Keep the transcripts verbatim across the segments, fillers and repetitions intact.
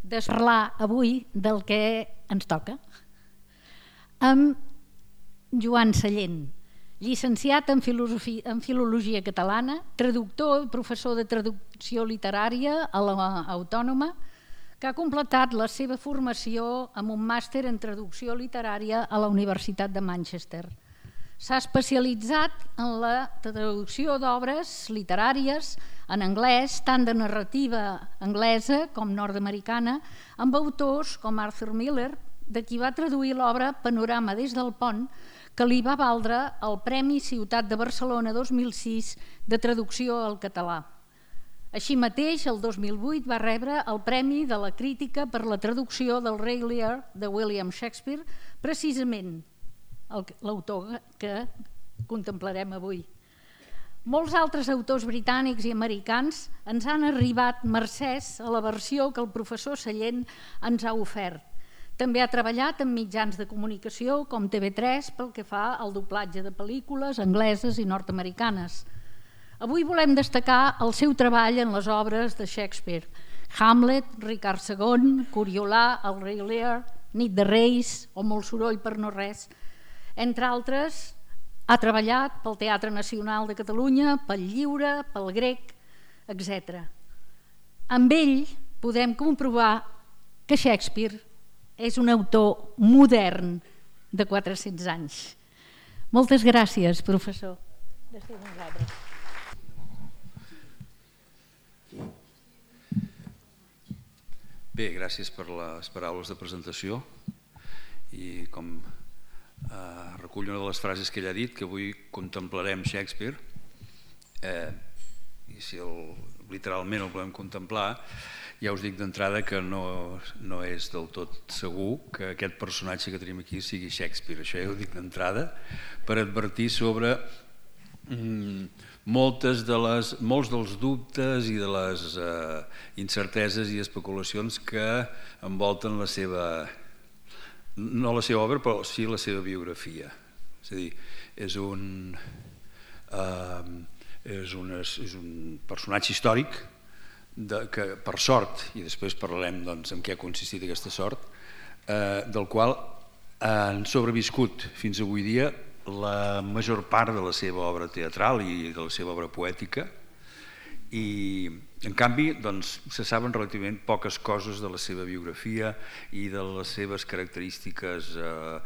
de parlar avui del que ens toca. Amb Joan Sallent, llicenciat en, en Filologia Catalana, traductor i professor de traducció literària a l'Autònoma, que ha completat la seva formació amb un màster en traducció literària a la Universitat de Manchester. S'ha especialitzat en la traducció d'obres literàries en anglès, tant de narrativa anglesa com nord-americana, amb autors com Arthur Miller, de qui va traduir l'obra Panorama des del pont, que li va valdre el Premi Ciutat de Barcelona dos mil sis de traducció al català. Així mateix, el dos mil vuit va rebre el Premi de la Crítica per la traducció del Rei Lear de William Shakespeare, precisament l'autor que contemplarem avui. Molts altres autors britànics i americans ens han arribat mercès a la versió que el professor Sallent ens ha ofert. També ha treballat en mitjans de comunicació com T V tres pel que fa al doblatge de pel·lícules angleses i nord-americanes. Avui volem destacar el seu treball en les obres de Shakespeare: Hamlet, Ricard segon, Coriolà, el Rei Lear, Nit de Reis o Molt soroll per no res. Entre altres, ha treballat pel Teatre Nacional de Catalunya, pel Lliure, pel Grec, etcètera. Amb ell podem comprovar que Shakespeare és un autor modern de quatre-cents anys. Moltes gràcies, professor. Gràcies a vosaltres. Bé, gràcies per les paraules de presentació i com eh, recull una de les frases que ell ha dit, que avui contemplarem Shakespeare, eh, i si el, literalment el volem contemplar, ja us dic d'entrada que no, no és del tot segur que aquest personatge que tenim aquí sigui Shakespeare. Això ja ho dic d'entrada per advertir sobre mm, moltes de les, molts dels dubtes i de les eh, incerteses i especulacions que envolten la seva, no la seva obra, però sí la seva biografia. És a dir, és un, eh, és un, és un personatge històric de, que per sort, i després parlarem doncs, en què ha consistit aquesta sort, eh, del qual han sobreviscut fins avui dia la major part de la seva obra teatral i de la seva obra poètica, i en canvi doncs, se saben relativament poques coses de la seva biografia i de les seves característiques eh,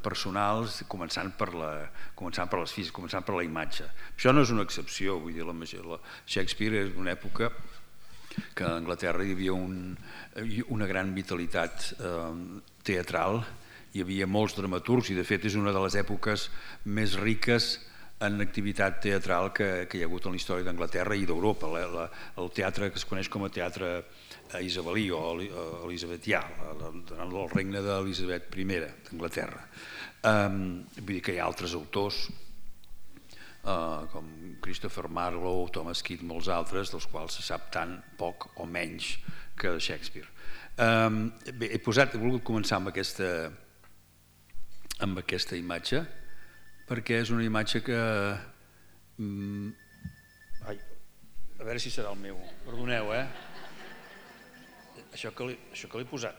personals, començant per, la, començant per les físiques, començant per la imatge. Això no és una excepció, vull dir, la, la Shakespeare és una època que a Anglaterra hi havia un, una gran vitalitat eh, teatral, hi havia molts dramaturgs i de fet és una de les èpoques més riques en activitat teatral que, que hi ha hagut en la història d'Anglaterra i d'Europa. El teatre que es coneix com a teatre isabelí o elisabetià, el regne d'Elisabet primera d'Anglaterra. Um, vull dir que hi ha altres autors uh, com Christopher Marlowe, Thomas Kidd, molts altres, dels quals se sap tant poc o menys que de Shakespeare. Um, bé, he, posat, he volgut començar amb aquesta, amb aquesta imatge, perquè és una imatge que... Mm, ai, a veure si serà el meu, perdoneu, eh? Això que li, això que l'he posat.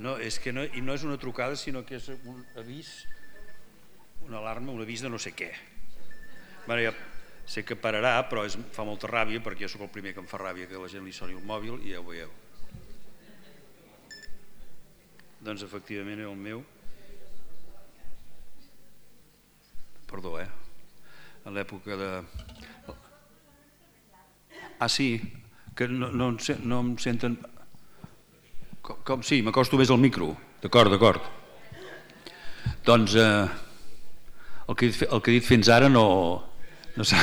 No, és que no, i no és una trucada, sinó que és un avís, una alarma, un avís de no sé què. Bueno, ja sé que pararà, però és, fa molta ràbia, perquè jo sóc el primer que em fa ràbia que la gent li soni el mòbil i ja ho veieu. Doncs efectivament era el meu. Perdó, eh? A l'època de... Ah, sí, que no, no, no em senten... Com, com sí, m'acosto més al micro. D'acord, d'acord. Doncs eh, el, que, el que he dit fins ara no... no sé...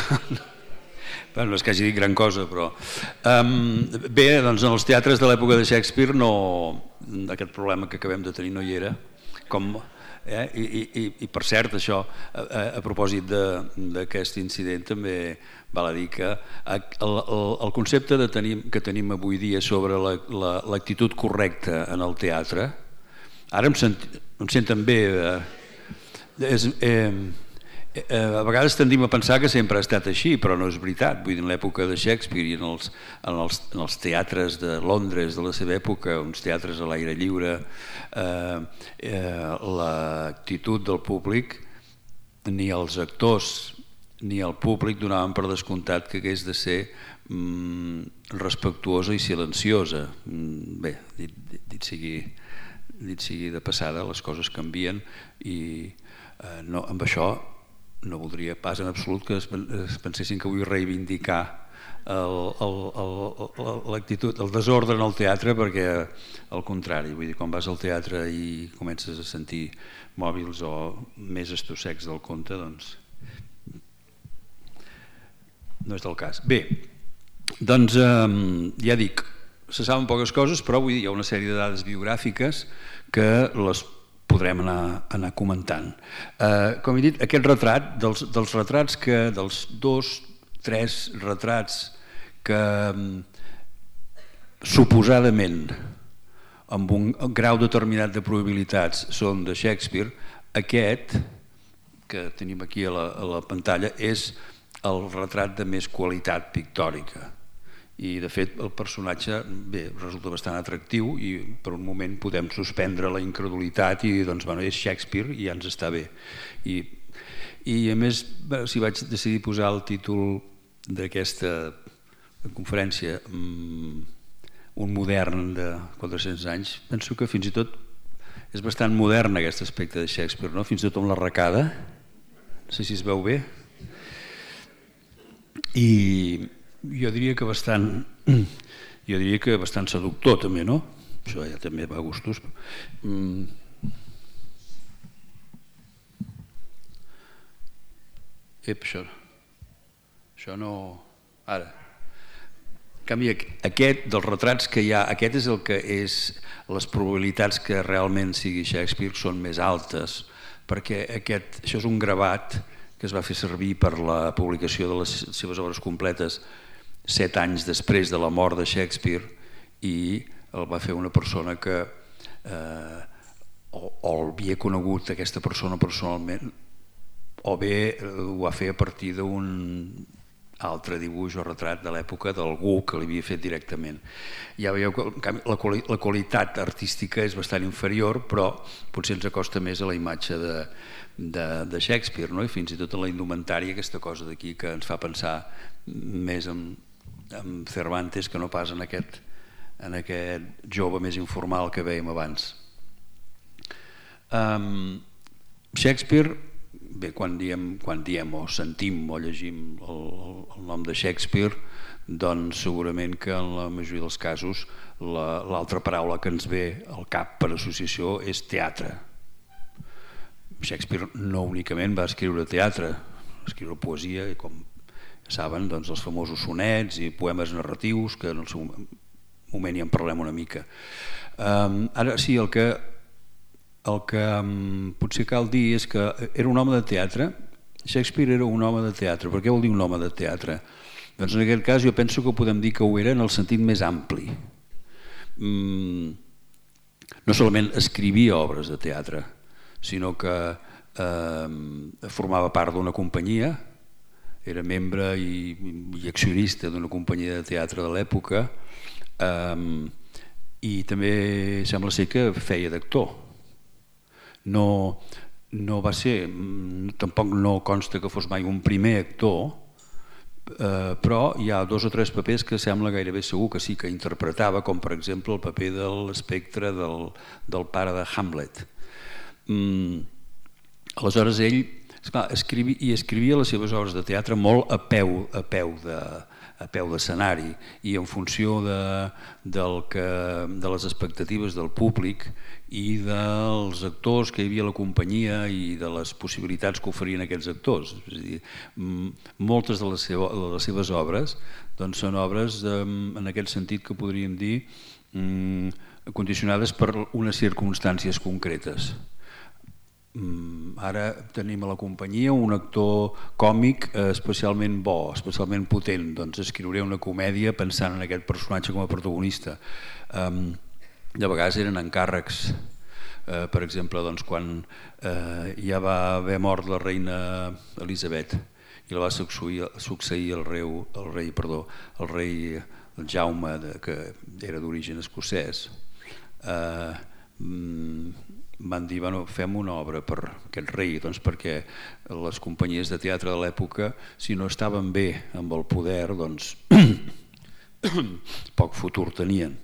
Bueno, no és que hagi dit gran cosa, però... Um, bé, doncs en els teatres de l'època de Shakespeare no, aquest problema que acabem de tenir no hi era. Com, eh? I, i, I per cert, això, a, a propòsit d'aquest incident, també val a dir que el, el, el concepte de tenir, que tenim avui dia sobre l'actitud la, la, correcta en el teatre, ara em, sent, em senten bé... Eh, és... Eh, A vegades tendim a pensar que sempre ha estat així, però no és veritat. Vull dir, en l'època de Shakespeare i en els, en els, en els teatres de Londres de la seva època, uns teatres a l'aire lliure, eh, eh, l'actitud del públic, ni els actors ni el públic donaven per descomptat que hagués de ser mm, respectuosa i silenciosa. Mm, bé, dit, dit, dit, sigui, dit sigui de passada, les coses canvien i eh, no, amb això no voldria pas en absolut que es pensessin que vull reivindicar l'actitud, el desordre en el teatre, perquè al contrari, vull dir, quan vas al teatre i comences a sentir mòbils o més estossecs del conte, doncs no és del cas. Bé, doncs eh, ja dic, se saben poques coses, però vull dir, hi ha una sèrie de dades biogràfiques que les podrem anar, anar comentant. Eh, com he dit, aquest retrat, dels, dels retrats que, dels dos, tres retrats que suposadament amb un grau determinat de probabilitats són de Shakespeare, aquest que tenim aquí a la, a la pantalla és el retrat de més qualitat pictòrica. I de fet el personatge bé, resulta bastant atractiu i per un moment podem suspendre la incredulitat i doncs bueno, és Shakespeare i ja ens està bé. I, i a més, si vaig decidir posar el títol d'aquesta conferència um, un modern de quatre-cents anys, penso que fins i tot és bastant modern aquest aspecte de Shakespeare, no? Fins i tot amb l'arracada, no sé si es veu bé. I jo diria que bastant jo diria que bastant seductor també, no? Això ja també va a gustos. Mm. Ep, això això no... Ara en canvi aquest dels retrats que hi ha, aquest és el que és les probabilitats que realment sigui Shakespeare són més altes, perquè aquest, això és un gravat que es va fer servir per la publicació de les seves obres completes set anys després de la mort de Shakespeare i el va fer una persona que eh, o, o havia conegut aquesta persona personalment o bé ho va fer a partir d'un altre dibuix o retrat de l'època d'algú que l'havia fet directament. Ja veieu que la, quali la qualitat artística és bastant inferior, però potser ens acosta més a la imatge de, de, de Shakespeare, no? I fins i tot a la indumentària, aquesta cosa d'aquí que ens fa pensar més en amb Cervantes que no pas en aquest, en aquest jove més informal que veiem abans. Um, Shakespeare, bé, quan diem, quan diem o sentim o llegim el, el nom de Shakespeare, doncs segurament que en la majoria dels casos l'altra paraula que ens ve al cap per associació és teatre. Shakespeare no únicament va escriure teatre, va escriure poesia i com saben, doncs, els famosos sonets i poemes narratius, que en el seu moment ja en parlem una mica. Um, ara sí, el que, el que um, potser cal dir és que era un home de teatre. Shakespeare era un home de teatre. Per què vol dir un home de teatre? Doncs en aquest cas jo penso que podem dir que ho era en el sentit més ampli. Um, no solament escrivia obres de teatre, sinó que um, formava part d'una companyia, era membre i, i accionista d'una companyia de teatre de l'època um, i també sembla ser que feia d'actor. No, no va ser, tampoc no consta que fos mai un primer actor, eh, però hi ha dos o tres papers que sembla gairebé segur que sí que interpretava, com per exemple el paper de l'espectre del, del pare de Hamlet. Mm, aleshores ell esclar, escrivia, i escrivia les seves obres de teatre molt a peu, a peu de a peu d'escenari i en funció de, del que, de les expectatives del públic i dels actors que hi havia a la companyia i de les possibilitats que oferien aquests actors. És a dir, moltes de les, seva, de les seves obres doncs, són obres en aquest sentit que podríem dir condicionades per unes circumstàncies concretes. Ara tenim a la companyia un actor còmic especialment bo, especialment potent, doncs escriuré una comèdia pensant en aquest personatge com a protagonista. De vegades eren encàrrecs per exemple, quan ja va haver mort la reina Elisabet i la va succeir el rei, perdó, el rei Jaume, que era d'origen escocès, van dir, bueno, fem una obra per aquest rei, doncs perquè les companyies de teatre de l'època, si no estaven bé amb el poder, doncs poc futur tenien.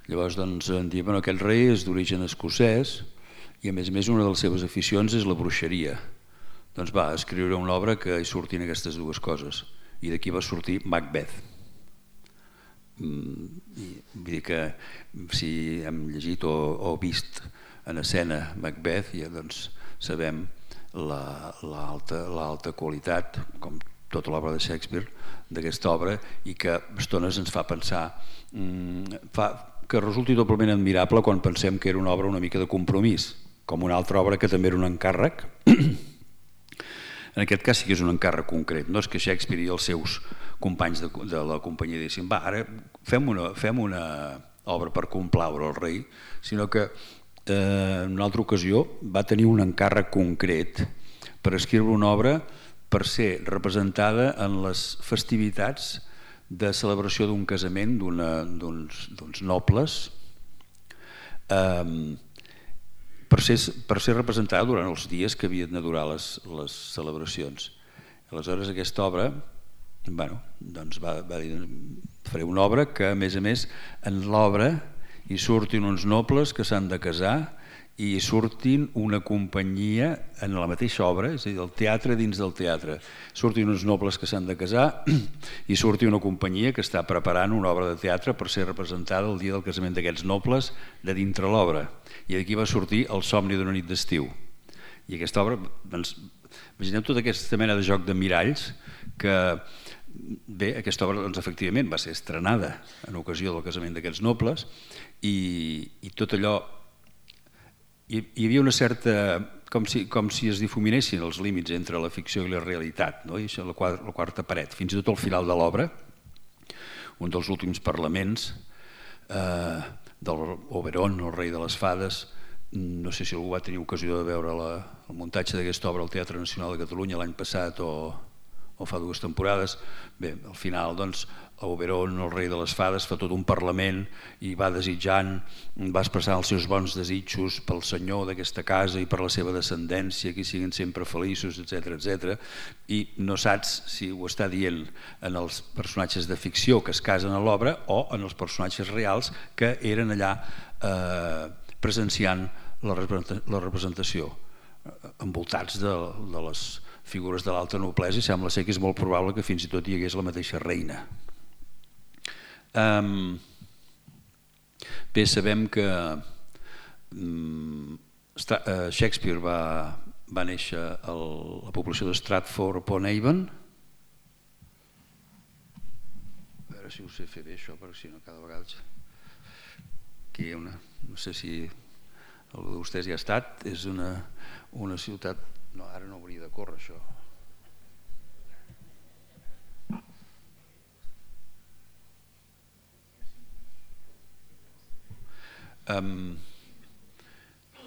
Llavors doncs em diuen, bueno, aquest rei és d'origen escocès i a més a més una de les seves aficions és la bruixeria. Doncs va, escriure una obra que hi surtin aquestes dues coses i d'aquí va sortir Macbeth. Vull dir que si hem llegit o vist en escena Macbeth, ja doncs sabem l'alta qualitat, com tota l'obra de Shakespeare, d'aquesta obra, i que a estones ens fa pensar que resulti doblement admirable quan pensem que era una obra una mica de compromís, com una altra obra que també era un encàrrec. En aquest cas sí que és un encàrrec concret, no és que Shakespeare i els seus companys de la companyia diguessin, va, ara fem una obra per complaure el rei, sinó que en una altra ocasió va tenir un encàrrec concret per escriure una obra per ser representada en les festivitats de celebració d'un casament d'uns nobles, per ser representada durant els dies que havien de durar les celebracions. Aleshores aquesta obra va dir, faré una obra que a més a més en l'obra hi surtin uns nobles que s'han de casar i hi surtin una companyia en la mateixa obra, és a dir, el teatre dins del teatre. Surtin uns nobles que s'han de casar i surti una companyia que està preparant una obra de teatre per ser representada el dia del casament d'aquests nobles de dintre l'obra. I d'aquí va sortir El somni d'una nit d'estiu. I aquesta obra, doncs, imagineu tota aquesta mena de joc de miralls que, bé, aquesta obra, doncs, efectivament, va ser estrenada en ocasió del casament d'aquests nobles i tot allò, hi havia una certa, com si es difuminessin els límits entre la ficció i la realitat, i això, la quarta paret. Fins i tot al final de l'obra, un dels últims parlaments d'Oberon, el rei de les fades, no sé si algú va tenir ocasió de veure el muntatge d'aquesta obra al Teatre Nacional de Catalunya l'any passat o fa dues temporades. Bé, al final, doncs, Oberon, el rei de les fades, fa tot un parlament i va desitjant, va expressar els seus bons desitjos pel senyor d'aquesta casa i per la seva descendència, que siguin sempre feliços, etcètera, etcètera. I no saps si ho està dient en els personatges de ficció que es casen a l'obra o en els personatges reals que eren allà presenciant la representació, envoltats de les figures de l'alta noblesa, i sembla ser que és molt probable que fins i tot hi hagués la mateixa reina. Bé, sabem que Shakespeare va néixer a la població de Stratford-upon-Avon. A veure si ho sé fer bé això, perquè si no cada vegada... Aquí hi ha una... No sé si algú de vostès hi ha estat. És una ciutat... No, ara no hauria de córrer això.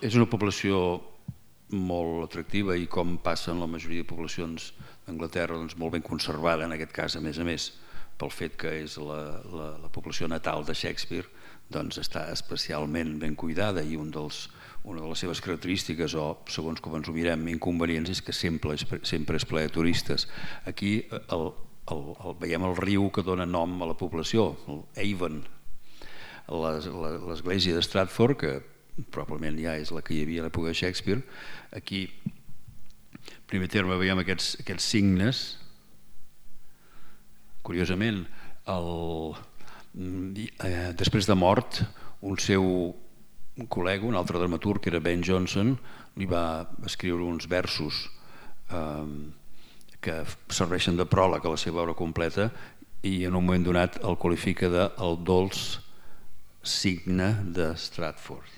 És una població molt atractiva i, com passa en la majoria de poblacions d'Anglaterra, molt ben conservada, en aquest cas, a més a més, pel fet que és la població natal de Shakespeare, doncs està especialment ben cuidada, i una de les seves característiques, o segons com ens ho mirem, inconvenients, és que sempre és ple de turistes. Aquí veiem el riu que dona nom a la població, el Avon. L'església de Stratford, que probablement ja és la que hi havia a l'època de Shakespeare, aquí, en primer terme, veiem aquests signes. Curiosament, després de mort, un seu col·lega, un altre dramaturg, que era Ben Jonson, li va escriure uns versos que serveixen de pròleg a la seva obra completa, i en un moment donat el qualifica de el dolç signe de Stratford.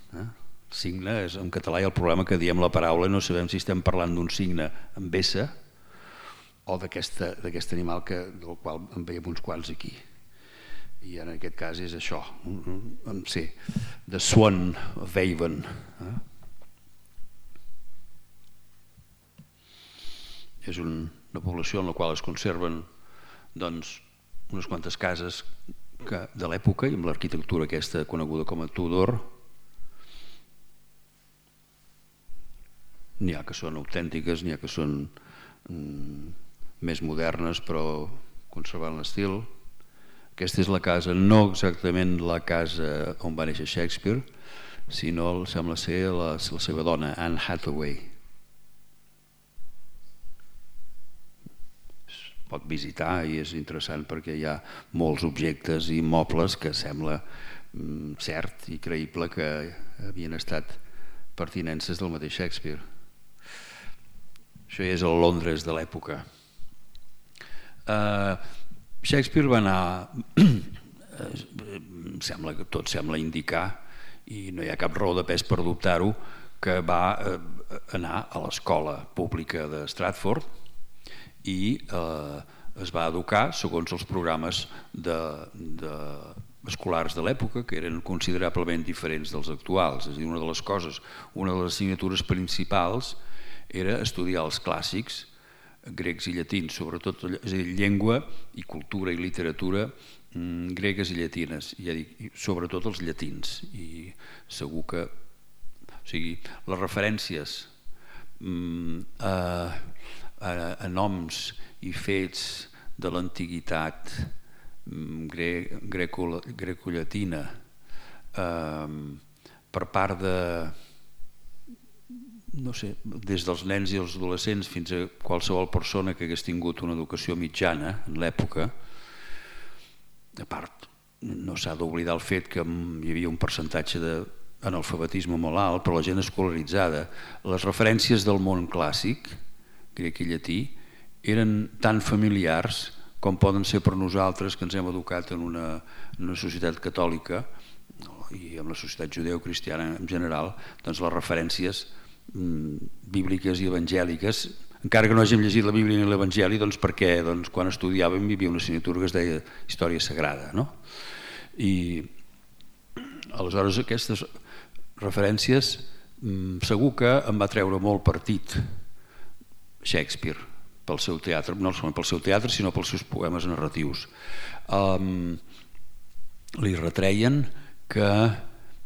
Signe és en català, i el problema que diem la paraula no sabem si estem parlant d'un signe amb essa o d'aquest animal del qual en veiem uns quants aquí. i en aquest cas és això, sí, The Swan of Avon. És una població en la qual es conserven doncs, unes quantes cases que, de l'època, i amb l'arquitectura aquesta coneguda com a Tudor. N'hi ha que són autèntiques, n'hi ha que són mm, més modernes, però conservant l'estil. Aquesta és la casa, no exactament la casa on va néixer Shakespeare, sinó sembla ser la, la seva dona, Anne Hathaway. Es pot visitar i és interessant perquè hi ha molts objectes i mobles que sembla mm, cert i creïble que havien estat pertinences del mateix Shakespeare. Això ja és el Londres de l'època. Uh, Shakespeare va anar, sembla que tot sembla indicar, i no hi ha cap raó de pes per dubtar-ho, que va uh, anar a l'escola pública de Stratford i uh, es va educar segons els programes de, de escolars de l'època, que eren considerablement diferents dels actuals. És a dir, una de les coses, una de les assignatures principals era estudiar els clàssics grecs i llatins, sobretot, és a dir, llengua i cultura i literatura mm, gregues i llatines, ja dic, sobretot els llatins, i segur que, o sigui, les referències mm, a, a, a noms i fets de l'antiguitat mm, gre, greco, greco-llatina eh, per part de no sé, des dels nens i els adolescents fins a qualsevol persona que hagués tingut una educació mitjana en l'època. A part, no s'ha d'oblidar el fet que hi havia un percentatge d'analfabetisme molt alt, però la gent escolaritzada. Les referències del món clàssic, grec i llatí, eren tan familiars com poden ser per nosaltres que ens hem educat en una, en una societat catòlica i en la societat judeu-cristiana en general, doncs les referències bíbliques i evangèliques, encara que no hàgim llegit la Bíblia ni l'Evangeli, doncs perquè doncs, quan estudiàvem hi havia una assignatura que es deia Història Sagrada, no? I aleshores aquestes referències segur que em va treure molt partit Shakespeare pel seu teatre, no solament pel seu teatre sinó pels seus poemes narratius. Um, li retreien que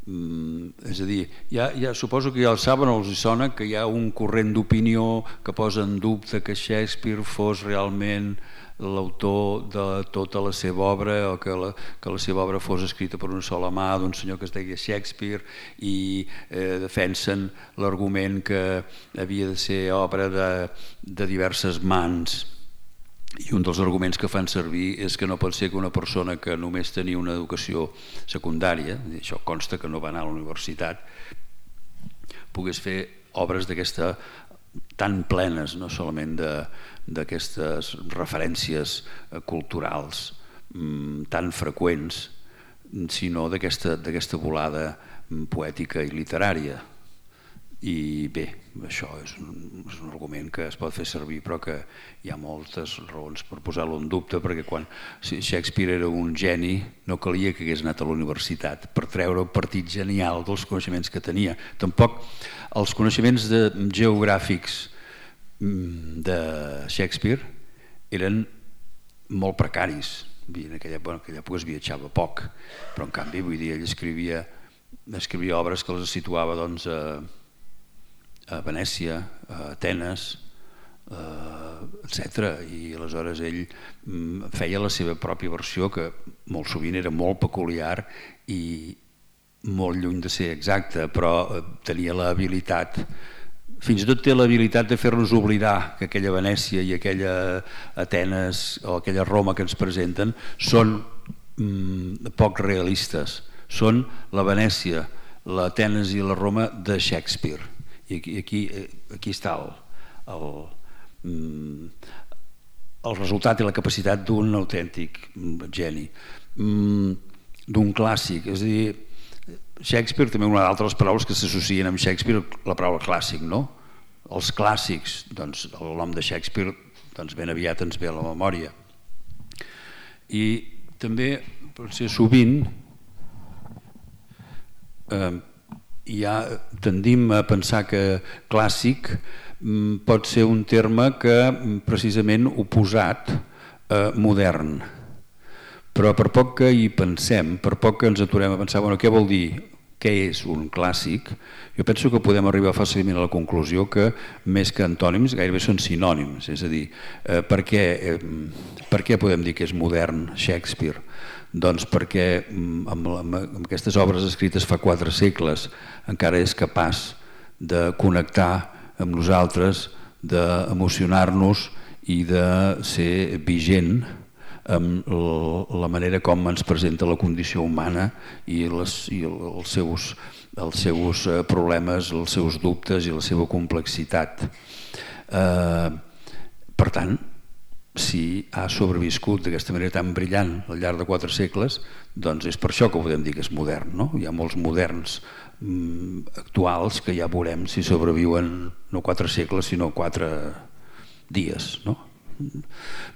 Mm, és a dir, ja, ja, suposo que ja el saben o els sona que hi ha un corrent d'opinió que posa en dubte que Shakespeare fos realment l'autor de tota la seva obra o que la, que la seva obra fos escrita per una sola mà d'un senyor que es deia Shakespeare i eh, defensen l'argument que havia de ser obra de, de diverses mans. I un dels arguments que fan servir és que no pot ser que una persona que només tenia una educació secundària, això consta que no va anar a la universitat, pogués fer obres d'aquesta tan plenes, no solament d'aquestes referències culturals tan freqüents, sinó d'aquesta d'aquesta volada poètica i literària. I bé, això és un, és un argument que es pot fer servir però que hi ha moltes raons per posar-lo en dubte, perquè quan Shakespeare era un geni no calia que hagués anat a la universitat per treure el partit genial dels coneixements que tenia. Tampoc els coneixements de, geogràfics de Shakespeare eren molt precaris. En aquella, bueno, en aquella època es viatjava poc, però en canvi vull dir, ell escrivia, escrivia obres que les situava doncs, a a Venècia, a Atenes, etcètera. I aleshores ell feia la seva pròpia versió, que molt sovint era molt peculiar i molt lluny de ser exacta, però tenia l'habilitat, fins i tot té l'habilitat de fer-nos oblidar que aquella Venècia i aquella Atenes o aquella Roma que ens presenten són mm, poc realistes. Són la Venècia, l'Atenes i la Roma de Shakespeare. I aquí, aquí, aquí està el, el, el resultat i la capacitat d'un autèntic geni, d'un clàssic. És a dir, Shakespeare, també una d'altres paraules que s'associen amb Shakespeare, la paraula clàssic, no? Els clàssics, doncs el nom de Shakespeare doncs ben aviat ens ve a la memòria. I també, potser sovint, eh, ja tendim a pensar que clàssic pot ser un terme que precisament oposat a modern, però per poc que hi pensem, per poc que ens aturem a pensar, bueno, què vol dir, què és un clàssic, jo penso que podem arribar fàcilment a la conclusió que més que antònims gairebé són sinònims, és a dir, eh, per, què, eh, per què podem dir que és modern Shakespeare? Doncs perquè amb, amb, amb aquestes obres escrites fa quatre segles encara és capaç de connectar amb nosaltres, d'emocionar-nos i de ser vigent amb la manera com ens presenta la condició humana i, les, i els, seus, els seus problemes, els seus dubtes i la seva complexitat. Eh, per tant, si ha sobreviscut d'aquesta manera tan brillant al llarg de quatre segles, doncs és per això que podem dir que és modern, no? Hi ha molts moderns mm, actuals que ja veurem si sobreviuen no quatre segles sinó quatre dies, no?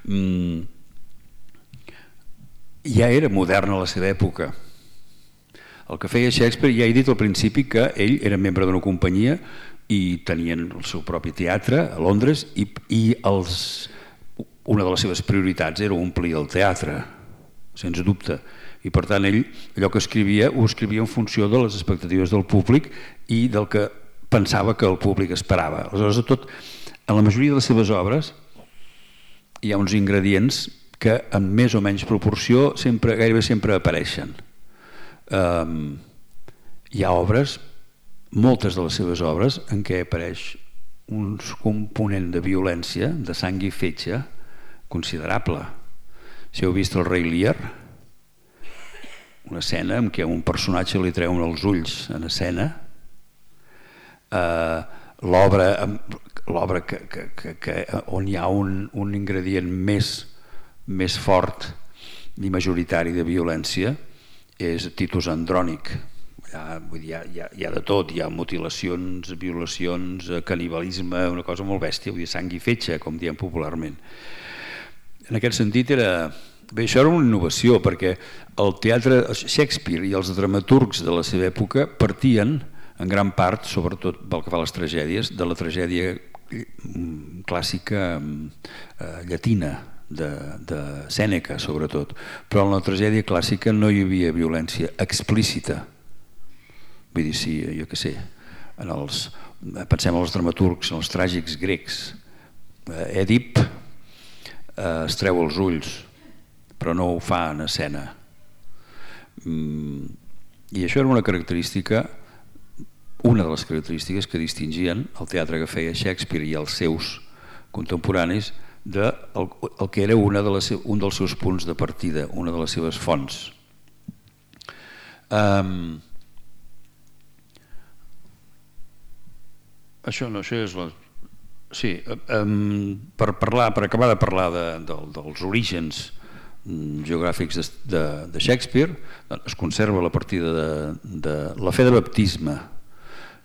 Mm, ja era modern a la seva època. El que feia Shakespeare, ja he dit al principi que ell era membre d'una companyia i tenien el seu propi teatre a Londres i, i els una de les seves prioritats era omplir el teatre, sens dubte, i per tant ell allò que escrivia ho escrivia en funció de les expectatives del públic i del que pensava que el públic esperava. Aleshores, tot, en la majoria de les seves obres hi ha uns ingredients que en més o menys proporció sempre, gairebé sempre apareixen. Um, hi ha obres, moltes de les seves obres, en què apareix un component de violència, de sang i fetge, considerable. Si heu vist el Rei Lear, una escena en què un personatge li treuen els ulls en escena, eh, l'obra l'obra que, que, que, que, on hi ha un, un ingredient més, més fort i majoritari de violència és Titus Andrònic. Hi ha, vull dir, hi, ha, hi, ha, hi ha de tot, hi ha mutilacions, violacions, canibalisme, una cosa molt bèstia, vull dir, sang i fetge, com diem popularment. En aquest sentit era... Bé, això era una innovació perquè el teatre Shakespeare i els dramaturgs de la seva època partien en gran part, sobretot pel que fa a les tragèdies, de la tragèdia clàssica eh, llatina, de, de Sèneca sobretot, però en la tragèdia clàssica no hi havia violència explícita. Vull dir, sí, jo què sé, en els, pensem en els dramaturgs, en els tràgics grecs, Èdip eh, es treu els ulls, però no ho fa en escena. Mm, I això era una característica, una de les característiques que distingien el teatre que feia Shakespeare i els seus contemporanis de el, el que era una de les, un dels seus punts de partida, una de les seves fonts. Um, això no, això és la... Sí, um, per, parlar, per acabar de parlar de, de, dels orígens geogràfics de, de, de Shakespeare, es conserva la partida de, de la fe de baptisme.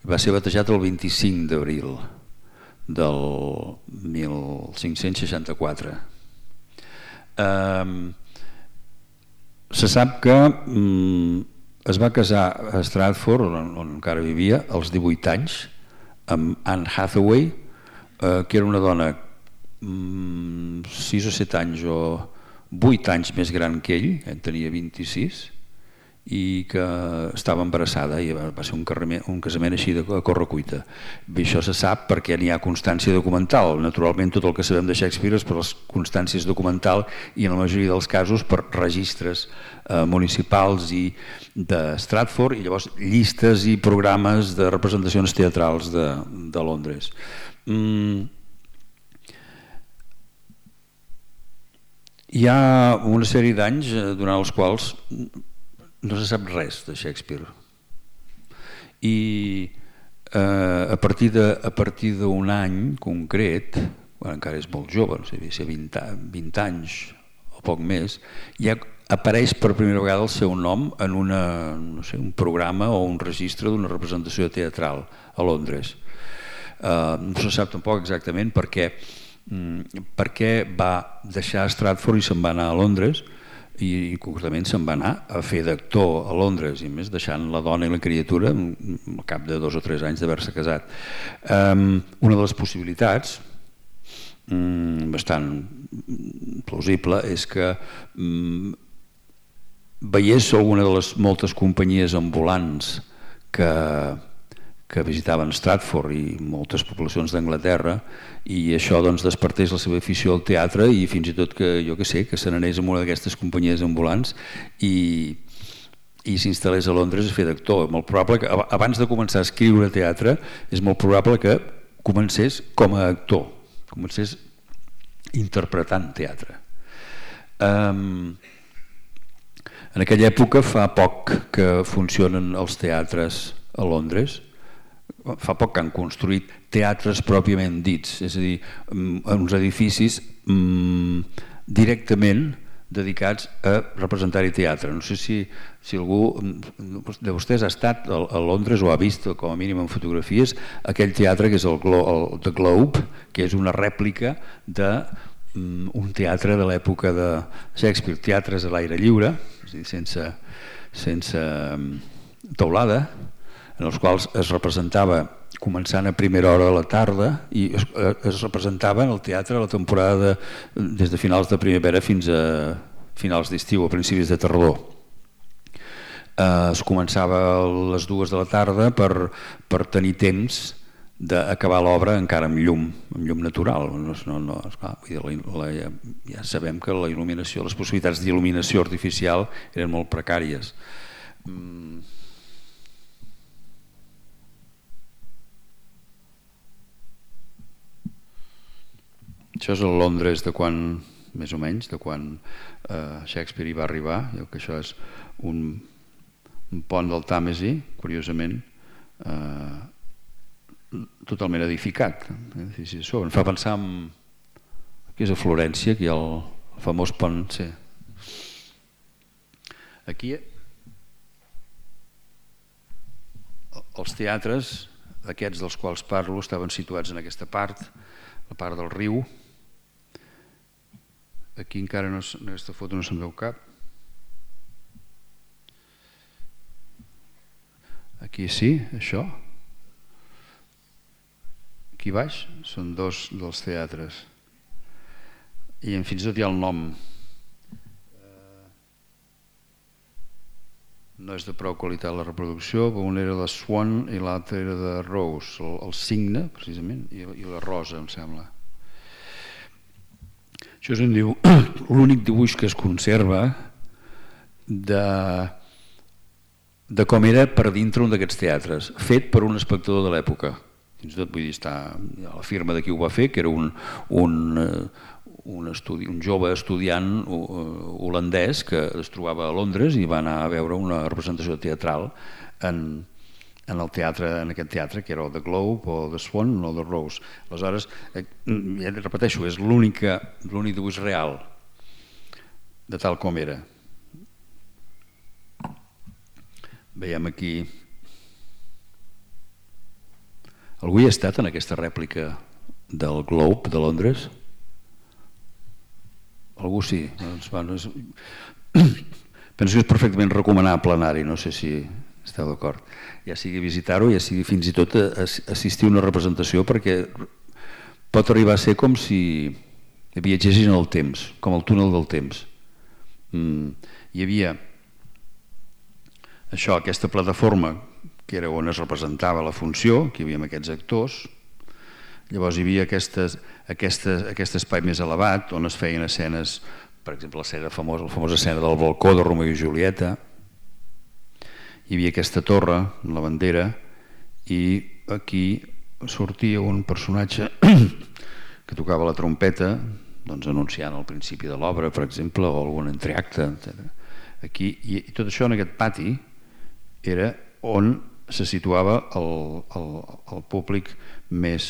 Va ser batejat el vint-i-cinc d'abril del mil cinc-cents seixanta-quatre. Um, se sap que um, es va casar a Stratford, on, on encara vivia, als divuit anys, amb Anne Hathaway, eh, que era una dona um, sis o set anys o vuit anys més gran que ell, en tenia vint-i-sis, i que estava embarassada i va ser un, carrement, un casament així de correcuita. I això se sap perquè n'hi ha constància documental. Naturalment tot el que sabem de Shakespeare és per les constàncies documental i en la majoria dels casos per registres eh, municipals i de Stratford i llavors llistes i programes de representacions teatrals de, de Londres. Mm. Hi ha una sèrie d'anys durant els quals no se sap res de Shakespeare i eh, a partir de, a partir d'un any concret, bueno, encara és molt jove, no sé, vint, vint anys o poc més, ja apareix per primera vegada el seu nom en una, no sé, un programa o un registre d'una representació teatral a Londres. Eh, no se sap tampoc exactament per què, per què va deixar Stratford i se'n va anar a Londres. i concretament se'n va anar a fer d'actor a Londres, i a més deixant la dona i la criatura al cap de dos o tres anys d'haver-se casat. Una de les possibilitats bastant plausible és que veiés alguna de les moltes companyies ambulants que que visitaven Stratford i moltes poblacions d'Anglaterra, i això doncs despertés la seva afició al teatre, i fins i tot que jo que sé, que se n'anés amb una d'aquestes companyies ambulants i, i s'instal·lés a Londres a fer d'actor. Molt probable que abans de començar a escriure teatre és molt probable que comencés com a actor, comencés interpretant teatre. Um, en aquella època fa poc que funcionen els teatres a Londres, fa poc que han construït teatres pròpiament dits, és a dir, uns edificis directament dedicats a representar-hi teatre. No sé si, si algú de vostès ha estat a Londres o ha vist, com a mínim en fotografies, aquell teatre que és el, el The Globe, que és una rèplica d'un teatre de l'època de Shakespeare, teatres a l'aire lliure, és a dir, sense, sense teulada, en els quals es representava començant a primera hora de la tarda i es, es representava en el teatre la temporada de, des de finals de primavera fins a finals d'estiu, a principis de tardor. Eh, es començava a les dues de la tarda per, per tenir temps d'acabar l'obra encara amb llum, amb llum natural. No, no, esclar, la, la, ja, ja sabem que la il·luminació, les possibilitats d'il·luminació artificial eren molt precàries. Mm. Això és el Londres de quan, més o menys, de quan eh, Shakespeare hi va arribar. Jo que això és un, un pont del Tàmesi, curiosament, eh, totalment edificat. Em fa pensar en... Aquí és a Florència, aquí hi ha el, el famós pont... Sí. Aquí els teatres, aquests dels quals parlo, estaven situats en aquesta part, la part del riu. Aquí encara no, en aquesta foto no se'n veu cap. Aquí sí, això. Aquí baix són dos dels teatres. I fins i tot hi ha el nom. No és de prou qualitat la reproducció, però un era de Swan i l'altre era de Rose, el, el cigne, precisament, i, i la rosa, em sembla. Això és un dibuix, l'únic dibuix que es conserva de, de com era per dintre un d'aquests teatres, fet per un espectador de l'època. Fins i tot, vull dir, està la firma de qui ho va fer, que era un, un, un, estudi, un jove estudiant holandès que es trobava a Londres i va anar a veure una representació teatral en, en el teatre, en aquest teatre, que era el The Globe o The Swan o The Rose. Aleshores, ja repeteixo, és l'únic dibuix real de tal com era. Veiem aquí... Algú hi ha estat en aquesta rèplica del Globe de Londres? Algú sí. Doncs, bueno, és... Penso que és perfectament recomanable anar-hi, no sé si esteu d'acord. Ja sigui visitar-ho, ja sigui fins i tot assistir a una representació, perquè pot arribar a ser com si viatgessin en el temps, com el túnel del temps. Mm. Hi havia això, aquesta plataforma que era on es representava la funció, que hi havia aquests actors, llavors hi havia aquestes, aquestes, aquest espai més elevat on es feien escenes, per exemple la famosa, la famosa escena del balcó de Romeo i Julieta, hi havia aquesta torre, la bandera, i aquí sortia un personatge que tocava la trompeta, doncs anunciant el principi de l'obra, per exemple, o algun entreacte, etcètera. Aquí, i, i tot això en aquest pati era on se situava el, el, el públic més,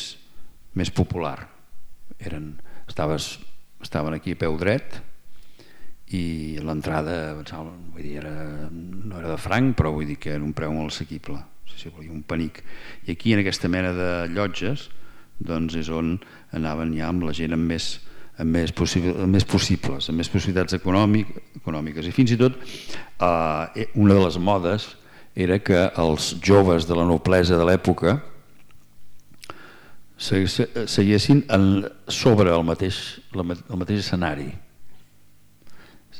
més popular. Eren, estaves, estaven aquí a peu dret i l'entrada vull dir, era, no era de franc, però vull dir que era un preu molt assequible, si volia un penic. I aquí en aquesta mena de llotges doncs és on anaven ja amb la gent amb més, amb més, possible, amb més possibles, amb més possibilitats econòmic, econòmiques. I fins i tot eh, una de les modes era que els joves de la noblesa de l'època seguessin sobre el mateix, el mateix escenari.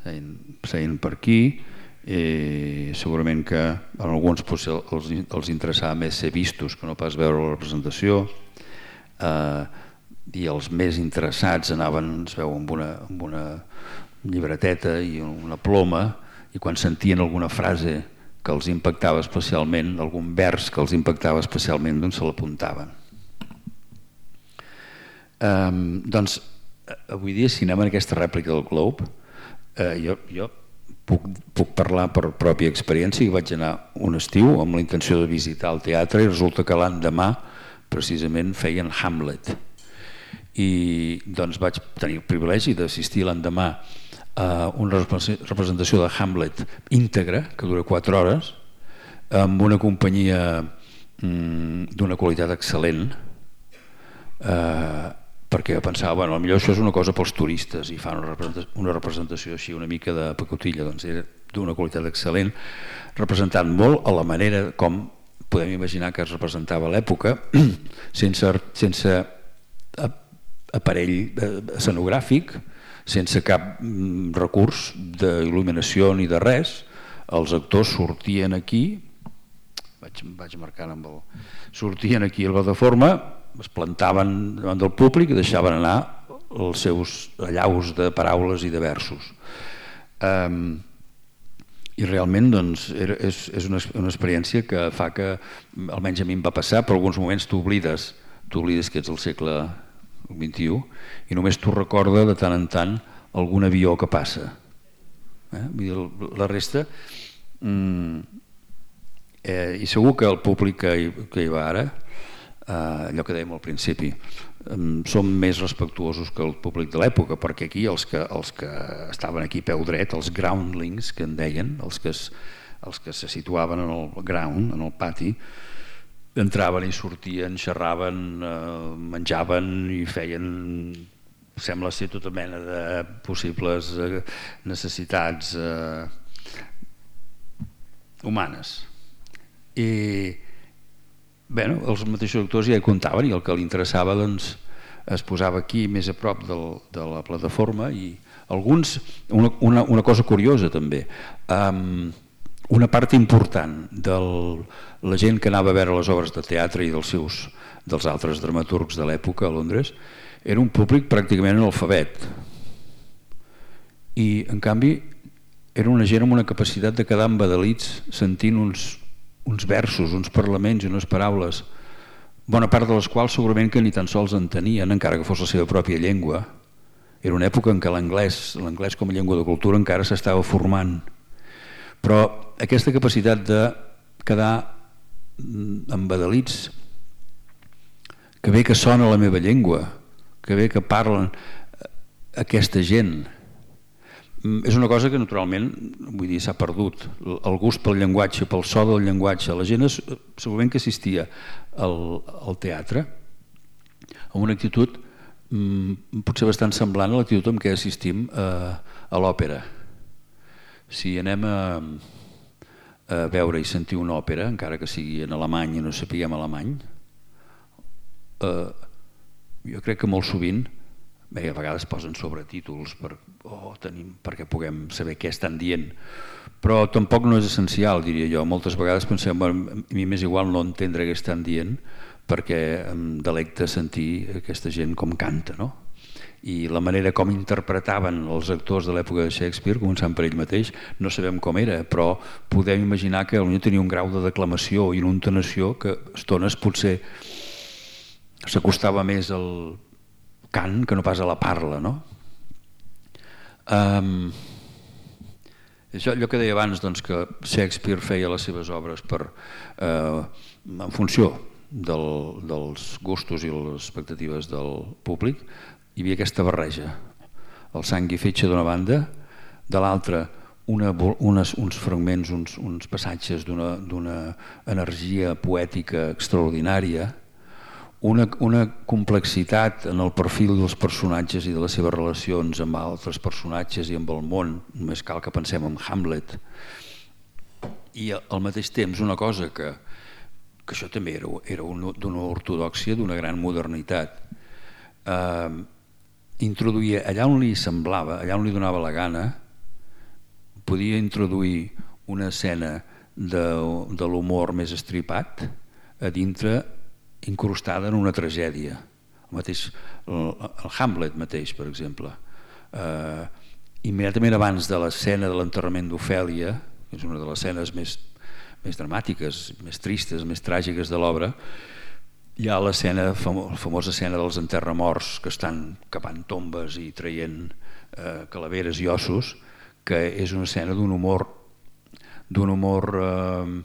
Seien, seien per aquí, eh, segurament que a alguns potser els, els interessava més ser vistos que no pas veure la representació, eh, i els més interessats anaven, es veu, amb una, amb una llibreteta i una ploma, i quan sentien alguna frase que els impactava especialment, algun vers que els impactava especialment, doncs se l'apuntaven. Um, doncs avui dia, si anem en aquesta rèplica del Globe, eh, jo, jo puc, puc parlar per pròpia experiència, i vaig anar un estiu amb la intenció de visitar el teatre i resulta que l'endemà precisament feien Hamlet, i doncs vaig tenir el privilegi d'assistir l'endemà a una representació de Hamlet íntegra que dura quatre hores amb una companyia mm, d'una qualitat excel·lent, eh, perquè pensava, bueno, potser això és una cosa pels turistes i fan una representació, una representació així una mica de pacotilla, doncs era d'una qualitat excel·lent, representant molt a la manera com podem imaginar que es representava a l'època, sense, sense aparell escenogràfic, sense cap recurs d'il·luminació ni de res. Els actors sortien aquí, vaig, vaig marcant amb el... sortien aquí a la plataforma, es plantaven davant del públic i deixaven anar els seus allaus de paraules i de versos. Um, I realment doncs, era, és, és una, una experiència que fa que, almenys a mi em va passar, per alguns moments t'oblides, t'oblides que ets al segle vint-i-u i només t'ho recorda de tant en tant algun avió que passa. Eh? Vull dir, la resta... Mm, eh, I segur que el públic que hi, que hi va ara, Uh, allò que dèiem al principi, um, som més respectuosos que el públic de l'època, perquè aquí els que, els que estaven aquí peu dret, els groundlings que en deien, els que, es, els que se situaven en el ground, en el pati, entraven i sortien, xerraven, uh, menjaven i feien, sembla ser, tota mena de possibles uh, necessitats uh, humanes. I Bé, els mateixos actors ja hi comptaven i el que li interessava doncs, es posava aquí més a prop del, de la plataforma i alguns, una, una, una cosa curiosa també, um, una part important de la gent que anava a veure les obres de teatre i dels, seus, dels altres dramaturgs de l'època a Londres era un públic pràcticament analfabet i en canvi era una gent amb una capacitat de quedar embadalits sentint uns uns versos, uns parlaments i unes paraules, bona part de les quals segurament que ni tan sols entenien, encara que fos la seva pròpia llengua. Era una època en què l'anglès, l'anglès com a llengua de cultura encara s'estava formant. Però aquesta capacitat de quedar embadalits, que bé que sona la meva llengua, que bé que parlen aquesta gent, és una cosa que naturalment vull dir s'ha perdut, el gust pel llenguatge, pel so del llenguatge. La gent segurament que assistia al, al teatre amb una actitud mm, potser bastant semblant a l'actitud amb què assistim a, a l'òpera. Si anem a, a veure i sentir una òpera, encara que sigui en alemany i no sapiguem alemany, eh, jo crec que molt sovint bé, a vegades posen sobretítols per, oh, tenim, perquè puguem saber què estan dient, però tampoc no és essencial, diria jo. Moltes vegades pensem, bueno, a mi m'és igual no entendre què estan dient perquè em delecta sentir aquesta gent com canta, no? I la manera com interpretaven els actors de l'època de Shakespeare, començant per ell mateix, no sabem com era, però podem imaginar que potser tenia un grau de declamació i una entonació que a estones potser s'acostava més al cant que no pas a la parla, no? Um, això, allò que deia abans, doncs, que Shakespeare feia les seves obres per, eh, en funció del, dels gustos i les expectatives del públic, hi havia aquesta barreja, el sang i fetge d'una banda, de l'altra una, unes, uns fragments, uns, uns passatges d'una energia poètica extraordinària, una, una complexitat en el perfil dels personatges i de les seves relacions amb altres personatges i amb el món. Només cal que pensem en Hamlet. I al mateix temps una cosa que, que això també era, era d'una ortodòxia, d'una gran modernitat. Eh, introduïa allà on li semblava, allà on li donava la gana, podia introduir una escena de, de l'humor més estripat a dintre, incrustada en una tragèdia. El, mateix, el, el Hamlet mateix, per exemple. Eh, immediatament abans de l'escena de l'enterrament d'Ofèlia, que és una de les escenes més, més dramàtiques, més tristes, més tràgiques de l'obra, hi ha l'escena, la famosa escena dels enterramorts que estan cavant tombes i traient eh, calaveres i ossos, que és una escena d'un humor d'un humor eh,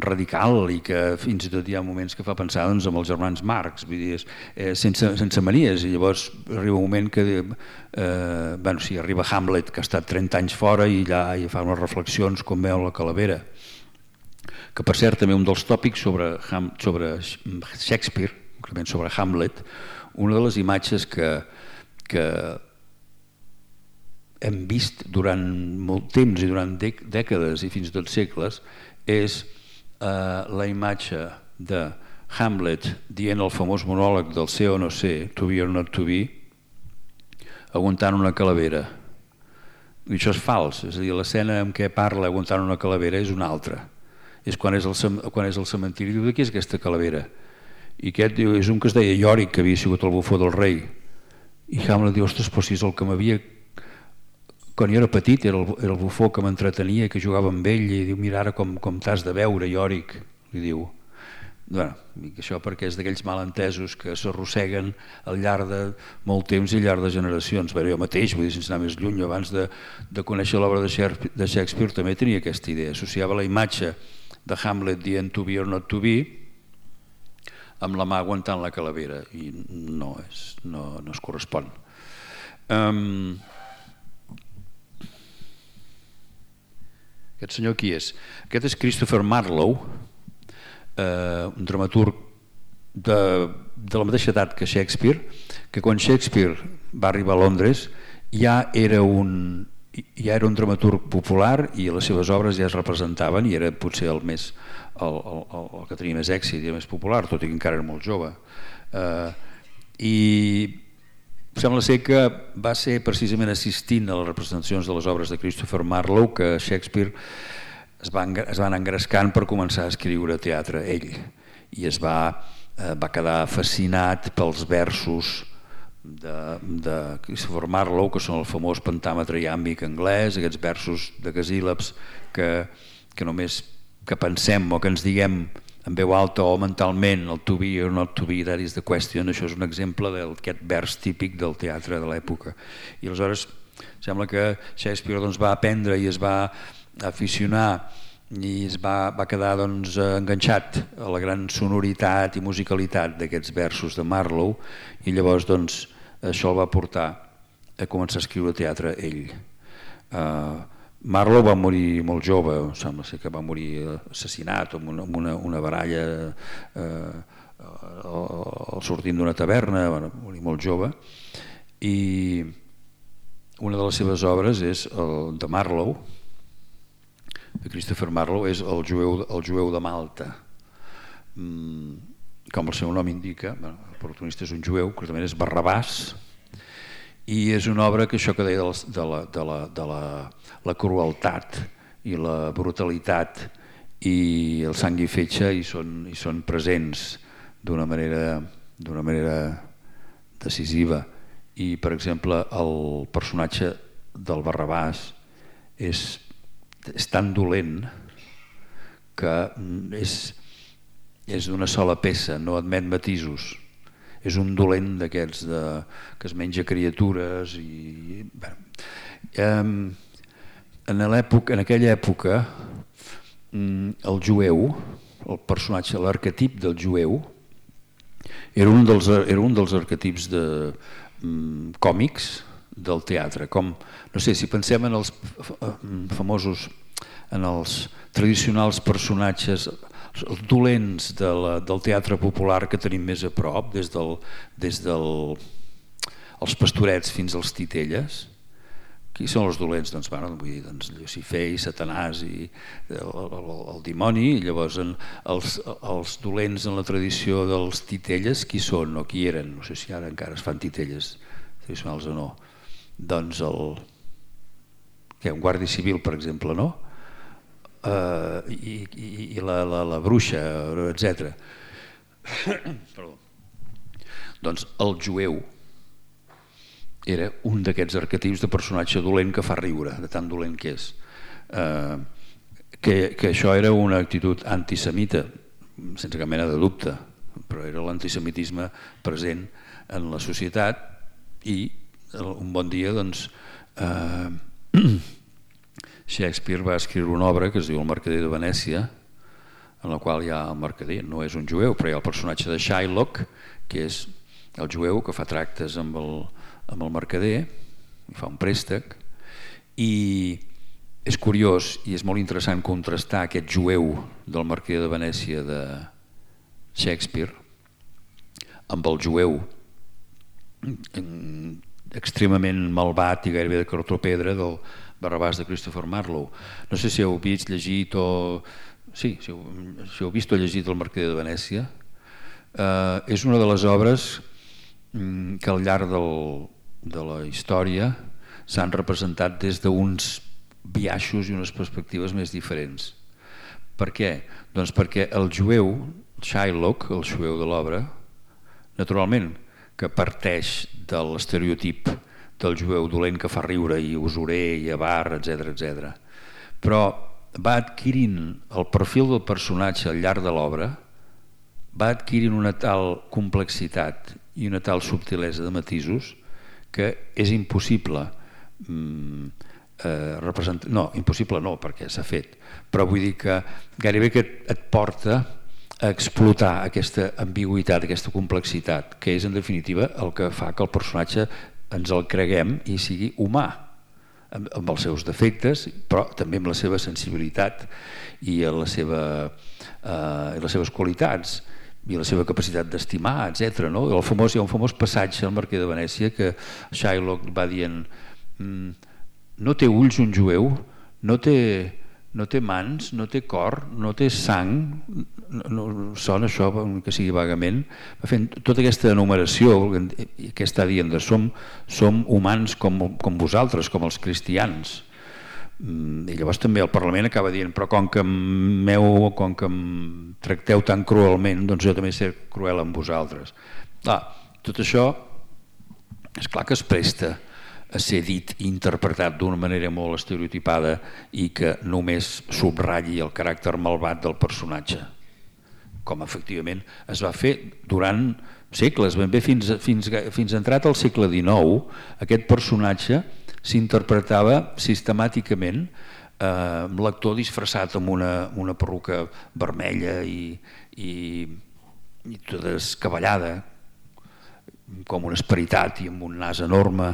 radical i que fins i tot hi ha moments que fa pensar doncs, amb els germans Marx, vull dir, eh, sense, sense manies, i llavors arriba un moment que eh, bueno, sí, arriba Hamlet, que ha estat trenta anys fora i allà hi fa unes reflexions com veu la calavera, que per cert també un dels tòpics sobre, sobre Shakespeare, concretament sobre Hamlet, una de les imatges que, que hem vist durant molt temps i durant dècades i fins i tot segles és eh, la imatge de Hamlet dient el famós monòleg del ser o no ser, to be or not to be, aguantant una calavera. I això és fals, és a dir, l'escena en què parla aguantant una calavera és una altra. És quan és el, quan és el cementiri, diu, de qui és aquesta calavera? I aquest diu, és un que es deia Yorick, que havia sigut el bufó del rei. I Hamlet diu, ostres, però si és el que m'havia... Quan jo era petit era el, era el bufó que m'entretenia, que jugava amb ell, i diu, mira ara com, com t'has de veure, Yorick, li diu. Bueno, això perquè és d'aquells malentesos que s'arrosseguen al llarg de molt temps i al llarg de generacions. Bé, jo mateix, vull dir, sense anar més lluny, abans de, de conèixer l'obra de Shakespeare també tenia aquesta idea, associava la imatge de Hamlet dient to be or not to be amb la mà aguantant la calavera, i no, és, no, no es correspon. Um, Aquest senyor qui és? Aquest és Christopher Marlowe, eh, un dramaturg de, de la mateixa edat que Shakespeare, que quan Shakespeare va arribar a Londres ja era un, ja era un dramaturg popular i les seves obres ja es representaven i era potser el, més, el, el, el que tenia més èxit i el més popular, tot i que encara era molt jove. Eh, I sembla ser que va ser precisament assistint a les representacions de les obres de Christopher Marlowe que Shakespeare es va, es va anar engrescant per començar a escriure teatre ell, i es va, eh, va quedar fascinat pels versos de, de Christopher Marlowe, que són el famós pentàmetre iàmbic anglès, aquests versos de casíl·labs que, que només que pensem o que ens diguem en veu alta o mentalment, el to be or not to be, that is the question. Això és un exemple d'aquest vers típic del teatre de l'època. I aleshores sembla que Shakespeare doncs, va aprendre i es va aficionar i es va, va quedar doncs, enganxat a la gran sonoritat i musicalitat d'aquests versos de Marlowe, i llavors doncs, això el va portar a començar a escriure teatre ell. Uh, Marlowe va morir molt jove, sembla ser que va morir assassinat amb una, una, una baralla eh, al sortint d'una taverna, va morir molt jove, i una de les seves obres és el de Marlowe, de Christopher Marlowe, és el jueu, el jueu de Malta. Mm, com el seu nom indica, bueno, el protagonista és un jueu, que també és Barrabàs, i és una obra que això que deia de la, de la, de la, la crueltat i la brutalitat i el sang i fetge hi són, hi són presents d'una manera, d'una manera decisiva. I per exemple el personatge del Barrabàs és, és tan dolent que és, és d'una sola peça, no admet matisos. És un dolent d'aquests que es menja criatures i... Bé, en, en aquella època el jueu, el personatge, l'arquetip del jueu era un dels, era un dels arquetips de, um, còmics del teatre. Com, no sé, si pensem en els famosos, en els tradicionals personatges, els dolents de la, del teatre popular que tenim més a prop, des del, des del, els pastorets fins als titelles. Qui són els dolents? Doncs, bueno, vull dir, doncs Lucifer i Satanàs i el, el, el dimoni. I llavors en, els, els dolents en la tradició dels titelles, qui són o qui eren? No sé si ara encara es fan titelles tradicionals o no. Doncs el, què, un guàrdia civil, per exemple, no? Uh, i, i, i la, la, la bruixa, etcètera. Perdó. Doncs el jueu era un d'aquests arquetips de personatge dolent que fa riure, de tan dolent que és. Uh, que, que això era una actitud antisemita, sense cap mena de dubte, però era l'antisemitisme present en la societat i un bon dia, doncs, uh, Shakespeare va escriure una obra que es diu El mercader de Venècia, en la qual hi ha el mercader, no és un jueu, però hi ha el personatge de Shylock, que és el jueu que fa tractes amb el, amb el mercader, i fa un préstec, i és curiós i és molt interessant contrastar aquest jueu del mercader de Venècia de Shakespeare amb el jueu extremament malvat i gairebé de cartó-pedra del Barrabàs de Christopher Marlowe. No sé si heu vist, llegit o... Sí, si heu, si heu vist o llegit El mercader de Venècia. Eh, és una de les obres que al llarg del, de la història s'han representat des d'uns biaixos i unes perspectives més diferents. Per què? Doncs perquè el jueu, Shylock, el jueu de l'obra, naturalment que parteix de l'estereotip del jueu dolent que fa riure i usurer i avar, etcètera, etcètera. Però va adquirint el perfil del personatge al llarg de l'obra, va adquirint una tal complexitat i una tal subtilesa de matisos que és impossible mm, eh, representar... No, impossible no, perquè s'ha fet, però vull dir que gairebé que et porta a explotar aquesta ambigüitat, aquesta complexitat, que és en definitiva el que fa que el personatge ens el creguem i sigui humà, amb, amb els seus defectes, però també amb la seva sensibilitat i la seva, eh, les seves qualitats i la seva capacitat d'estimar, etcètera. No? El famós, hi ha un famós passatge al Mercader de Venècia que Shylock va dient no té ulls un jueu, no té, no té mans, no té cor, no té sang, no, no, sona això que sigui vagament, va fent tota aquesta enumeració que està dient de som, som humans com, com vosaltres, com els cristians. I llavors també el Parlament acaba dient però com que meu, com que em tracteu tan cruelment, doncs jo també sé cruel amb vosaltres. Ah, tot això és clar que es presta a ser dit i interpretat d'una manera molt estereotipada i que només subratlli el caràcter malvat del personatge, com efectivament es va fer durant segles, ben bé fins, fins, fins entrat al segle dinou. Aquest personatge s'interpretava sistemàticament eh, amb l'actor disfressat amb una, una perruca vermella i, i, i tota escabellada, com un esperitat i amb un nas enorme,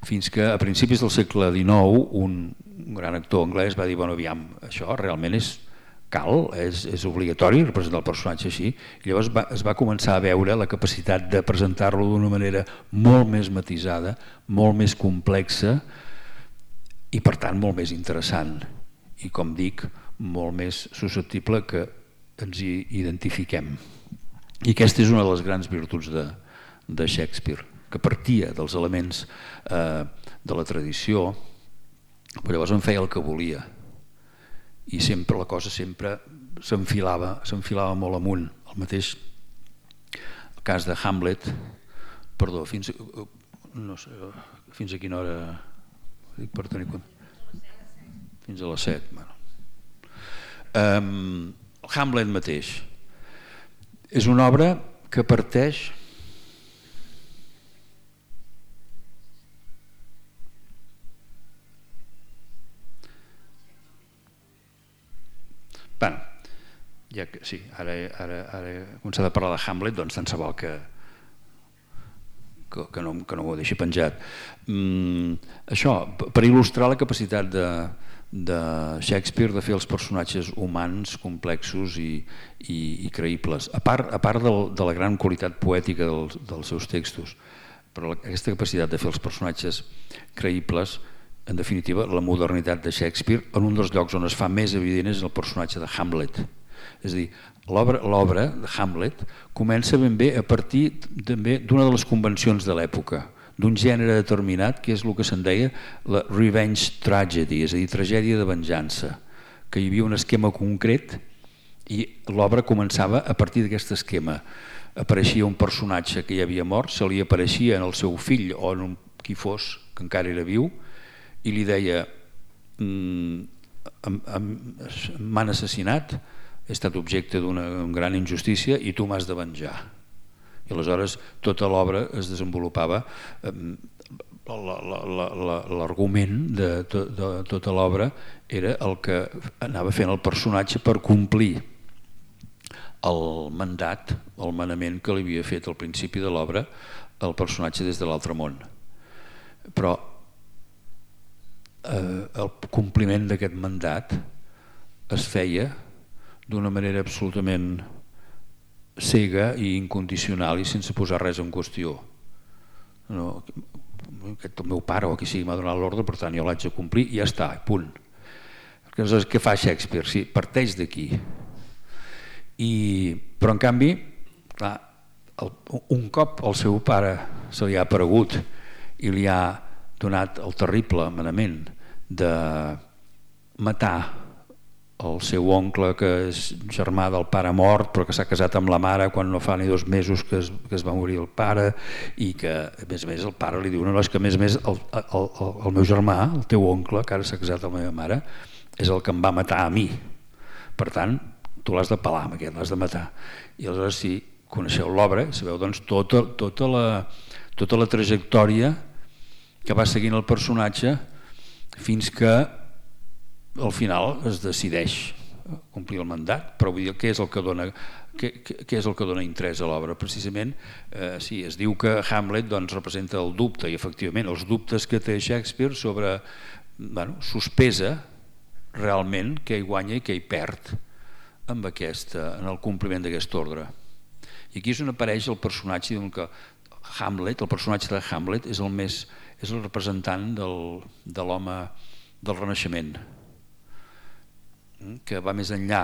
fins que a principis del segle dinou un, un gran actor anglès va dir bueno, aviam, això realment és cal, és, és obligatori representar el personatge així, i llavors va, es va començar a veure la capacitat de presentar-lo d'una manera molt més matisada, molt més complexa i per tant molt més interessant i com dic, molt més susceptible que ens hi identifiquem. I aquesta és una de les grans virtuts de, de Shakespeare, que partia dels elements eh, de la tradició, però llavors en feia el que volia. I sempre la cosa sempre s'enfilava, s'enfilava molt amunt. El mateix el cas de Hamlet, perdó, fins, no sé, fins a quina hora dic per tenir compte? Fins a les set. Bueno. Um, Hamlet mateix és una obra que parteix Bueno, ja que, sí, ara, ara, ara he començat a parlar de Hamlet, doncs tant se val que, que, que, no, que no m'ho deixi penjat. Mm, això, per il·lustrar la capacitat de, de Shakespeare de fer els personatges humans, complexos i, i, i creïbles, a part, a part del, de la gran qualitat poètica dels, dels seus textos. Però aquesta capacitat de fer els personatges creïbles, en definitiva, la modernitat de Shakespeare, en un dels llocs on es fa més evident és el personatge de Hamlet. És a dir, l'obra de Hamlet comença ben bé a partir d'una de les convencions de l'època, d'un gènere determinat, que és el que se'n deia la revenge tragedy, és a dir, tragèdia de venjança, que hi havia un esquema concret i l'obra començava a partir d'aquest esquema. Apareixia un personatge que ja havia mort, se li apareixia en el seu fill o en qui fos, que encara era viu, i li deia: m'han assassinat, he estat objecte d'una gran injustícia i tu m'has de venjar. I aleshores tota l'obra es desenvolupava, l'argument de tota l'obra era el que anava fent el personatge per complir el mandat, el manament que li havia fet al principi de l'obra el personatge des de l'altre món. Però el compliment d'aquest mandat es feia d'una manera absolutament cega i incondicional i sense posar res en qüestió. No, aquest el meu pare o qui sigui m'ha donat l'ordre, per tant jo l'haig de complir i ja està, punt. Aleshores, què fa Shakespeare? Sí, parteix d'aquí. Però en canvi, clar, un cop el seu pare se li ha aparegut i li ha donat el terrible manament de matar el seu oncle, que és germà del pare mort, però que s'ha casat amb la mare quan no fa ni dos mesos que es, que es va morir el pare, i que a més a més el pare li diu: no, no, és que a més a més el, el, el, el meu germà, el teu oncle, que ara s'ha casat amb la meva mare, és el que em va matar a mi, per tant tu l'has de pelar amb aquest, l'has de matar. I aleshores, si coneixeu l'obra, sabeu doncs tota, tota, la, tota la trajectòria que va seguint el personatge fins que al final es decideix complir el mandat. Però vull dir, què és el que dona, què, què és el que dona interès a l'obra? Precisament, eh, sí, es diu que Hamlet doncs, representa el dubte, i efectivament els dubtes que té Shakespeare sobre, bueno, sospesa realment què hi guanya i què hi perd amb aquesta, en el compliment d'aquest ordre. I aquí és on apareix el personatge que Hamlet, el personatge de Hamlet és el més, és el representant del, de l'home del Renaixement, que va més enllà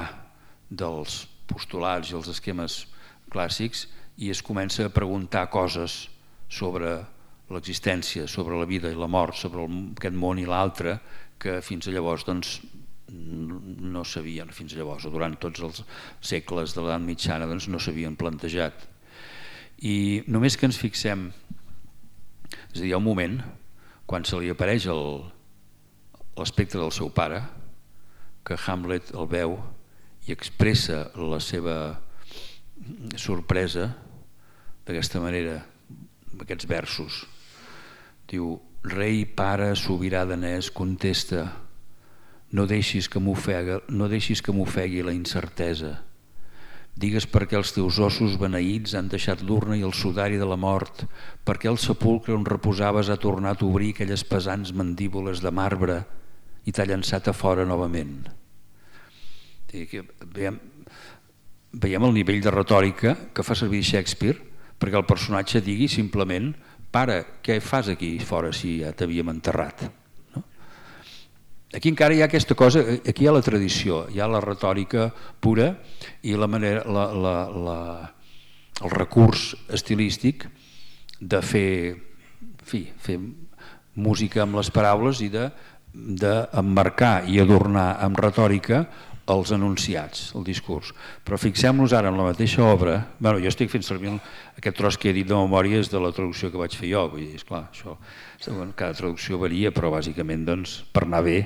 dels postulats i els esquemes clàssics i es comença a preguntar coses sobre l'existència, sobre la vida i la mort, sobre aquest món i l'altre, que fins a llavors doncs, no s'havien, fins a llavors, o durant tots els segles de l'edat mitjana doncs, no s'havien plantejat. I només que ens fixem, és a dir, hi ha un moment quan se li apareix l'espectre del seu pare, que Hamlet el veu i expressa la seva sorpresa d'aquesta manera, amb aquests versos. Diu: rei, pare, sobirà danès, contesta, no deixis que m'ofegui no deixis que m'ofegui la incertesa. Digues per què els teus ossos beneïts han deixat l'urna i el sudari de la mort, per què el sepulcre on reposaves ha tornat a obrir aquelles pesants mandíbules de marbre i t'ha llançat a fora novament. Veiem, veiem el nivell de retòrica que fa servir Shakespeare perquè el personatge digui simplement: pare, què fas aquí fora si ja t'havíem enterrat? No? Aquí encara hi ha aquesta cosa, aquí hi ha la tradició, hi ha la retòrica pura i la manera, la, la, la, el recurs estilístic de fer, fi, fer música amb les paraules i de d'emmarcar i adornar amb retòrica els enunciats, el discurs. Però fixem-nos ara en la mateixa obra. Bueno, jo estic fent servir aquest tros que he dit de memòria és de la traducció que vaig fer jo. Vull dir, esclar, això, cada traducció varia, però bàsicament doncs, per anar bé,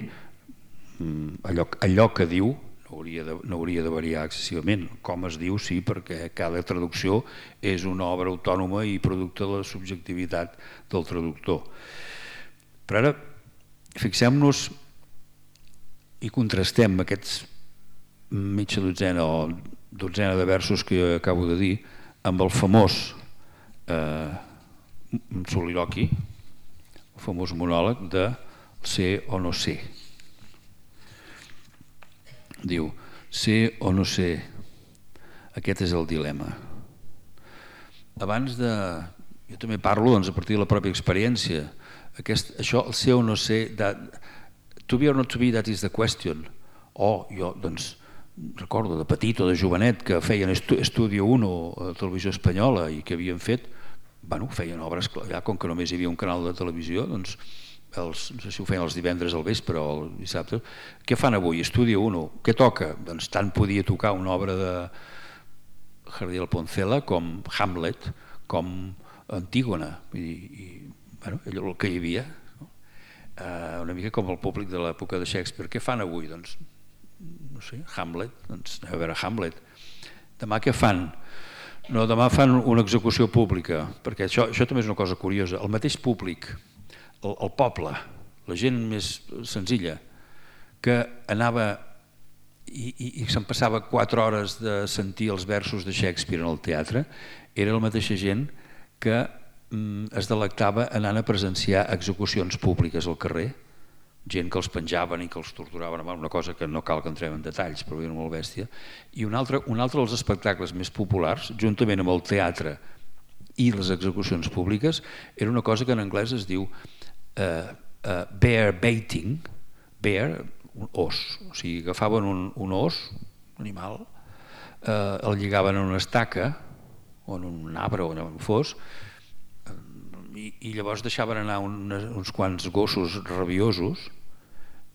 allò, allò que diu no hauria, de, no hauria de variar excessivament. Com es diu, sí, perquè cada traducció és una obra autònoma i producte de la subjectivitat del traductor. Però ara fixem-nos i contrastem aquests mitja dotzena o dotzena de versos que jo acabo de dir amb el famós eh, soliloqui, el famós monòleg de ser o no ser. diu, ser o no ser, aquest és el dilema. Abans de... Jo també parlo doncs, a partir de la pròpia experiència. Aquest, això, el ser o no ser, that, to be or not to be, that is the question. O jo, doncs, recordo de petit o de jovenet que feien Estudio uno a la televisió espanyola i que havien fet, bueno, feien obres, ja, com que només hi havia un canal de televisió, doncs, els, no sé si ho feien els divendres al vespre o el dissabte, què fan avui? Estudio uno, què toca? Doncs tant podia tocar una obra de Jardiel Poncela com Hamlet, com Antígona, i, i bueno, allò el que hi havia, no? Uh, una mica com el públic de l'època de Shakespeare. Què fan avui? Doncs, no sé, Hamlet, doncs anem a veure Hamlet. Demà què fan? No, demà fan una execució pública, perquè això, això també és una cosa curiosa. El mateix públic, el, el poble, la gent més senzilla, que anava i, i, i se'n passava quatre hores de sentir els versos de Shakespeare en el teatre, era la mateixa gent que mm, es delectava anant a presenciar execucions públiques al carrer, gent que els penjaven i que els torturaven, una cosa que no cal que entrem en detalls, però era molt bèstia. I un altre, un altre dels espectacles més populars, juntament amb el teatre i les execucions públiques, era una cosa que en anglès es diu uh, uh, bear baiting, bear, un os, o sigui, agafaven un, un os, un animal, uh, el lligaven en una estaca, o en un arbre o on fos, i, i llavors deixaven anar un, uns quants gossos rabiosos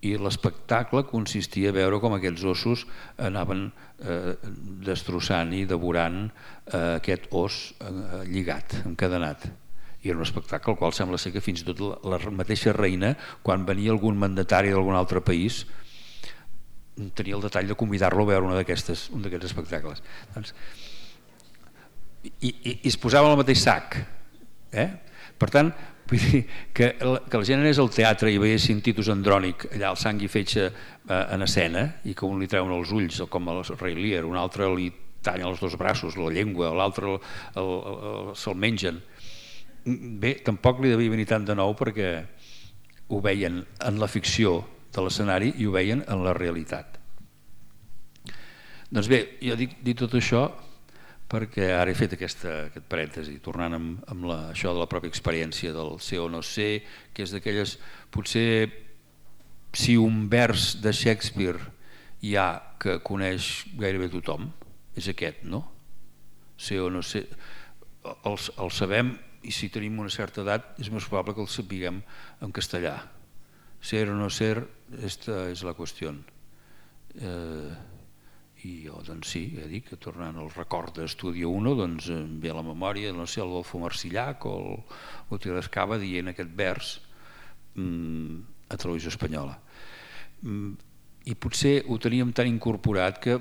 i l'espectacle consistia a veure com aquests ossos anaven eh, destrossant i devorant eh, aquest os eh, lligat, encadenat. I era un espectacle al qual sembla ser que fins i tot la, la mateixa reina, quan venia algun mandatari d'algun altre país, tenia el detall de convidar-lo a veure un d'aquests un d'aquests espectacles. Doncs, I, i, i es posava en el mateix sac. Eh? Per tant, vull dir que, que la gent anés al teatre i veiessin Titus Andrònic, allà el sang i fetge eh, en escena, i que un li treuen els ulls, com el rei Lear, un altre li tallen els dos braços, la llengua, l'altre se'l mengen. Bé, tampoc li devia venir tant de nou perquè ho veien en la ficció de l'escenari i ho veien en la realitat. Doncs bé, jo dic, dic tot això perquè ara he fet aquesta, aquest parèntesi, tornant amb, amb la, això de la pròpia experiència del ser o no ser, que és d'aquelles, potser si un vers de Shakespeare hi ha que coneix gairebé tothom, és aquest, no? Ser o no ser, el, el sabem, i si tenim una certa edat és més probable que el sapiguem en castellà. Ser o no ser, esta és la qüestió. Eh, I jo, doncs sí, ja dic, tornant al record d'Estudio uno, doncs em ve a la memòria, no sé, el Adolfo Marsillac o el Guti Rescava dient aquest vers mmm, a Televisió Espanyola. Mm, I potser ho teníem tan incorporat que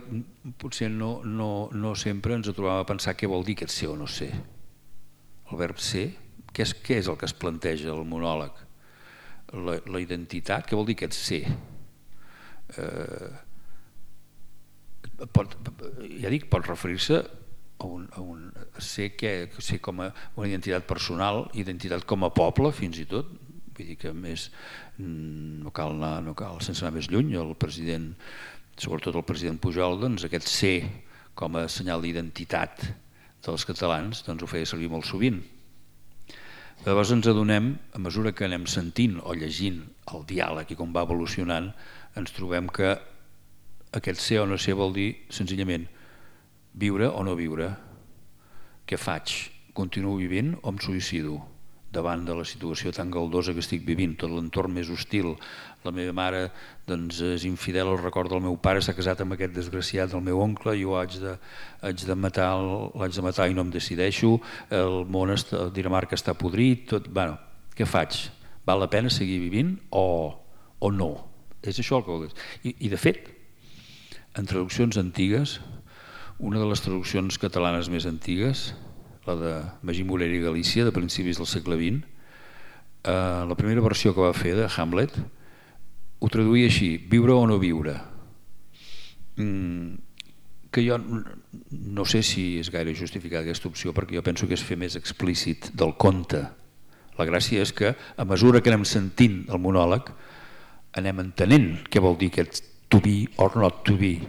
potser no, no, no sempre ens trobàvem a pensar què vol dir aquest ser o no ser. El verb ser, què és, què és el que es planteja al monòleg? La, la identitat, què vol dir aquest ser? Eh... Pot, ja dic, pot referir-se a un, a un a ser, que, ser com a una identitat personal, identitat com a poble fins i tot, vull dir que més no cal anar, no cal sense anar més lluny, el president, sobretot el president Pujol, doncs aquest ser com a senyal d'identitat dels catalans, doncs ho feia servir molt sovint. Llavors ens adonem, a mesura que anem sentint o llegint el diàleg i com va evolucionant, ens trobem que aquest ser o no ser vol dir senzillament viure o no viure. Què faig? Continuo vivint o em suïcido davant de la situació tan galdosa que estic vivint, tot l'entorn més hostil? La meva mare doncs, és infidel al record del meu pare, s'ha casat amb aquest desgraciat del meu oncle, jo haig de, haig de, matar, l'haig de matar i no em decideixo, el món, està, Dinamarca està podrit, tot, bueno, què faig? Val la pena seguir vivint o, o no? És això el que vol dir. I, i de fet, en traduccions antigues, una de les traduccions catalanes més antigues, la de Magí Morera i Galícia, de principis del segle vint, eh, la primera versió que va fer de Hamlet, ho traduïa així, viure o no viure. Mm, que jo no sé si és gaire justificada aquesta opció, perquè jo penso que és fer més explícit del conte. La gràcia és que, a mesura que anem sentint el monòleg, anem entenent què vol dir aquest to be or not to be,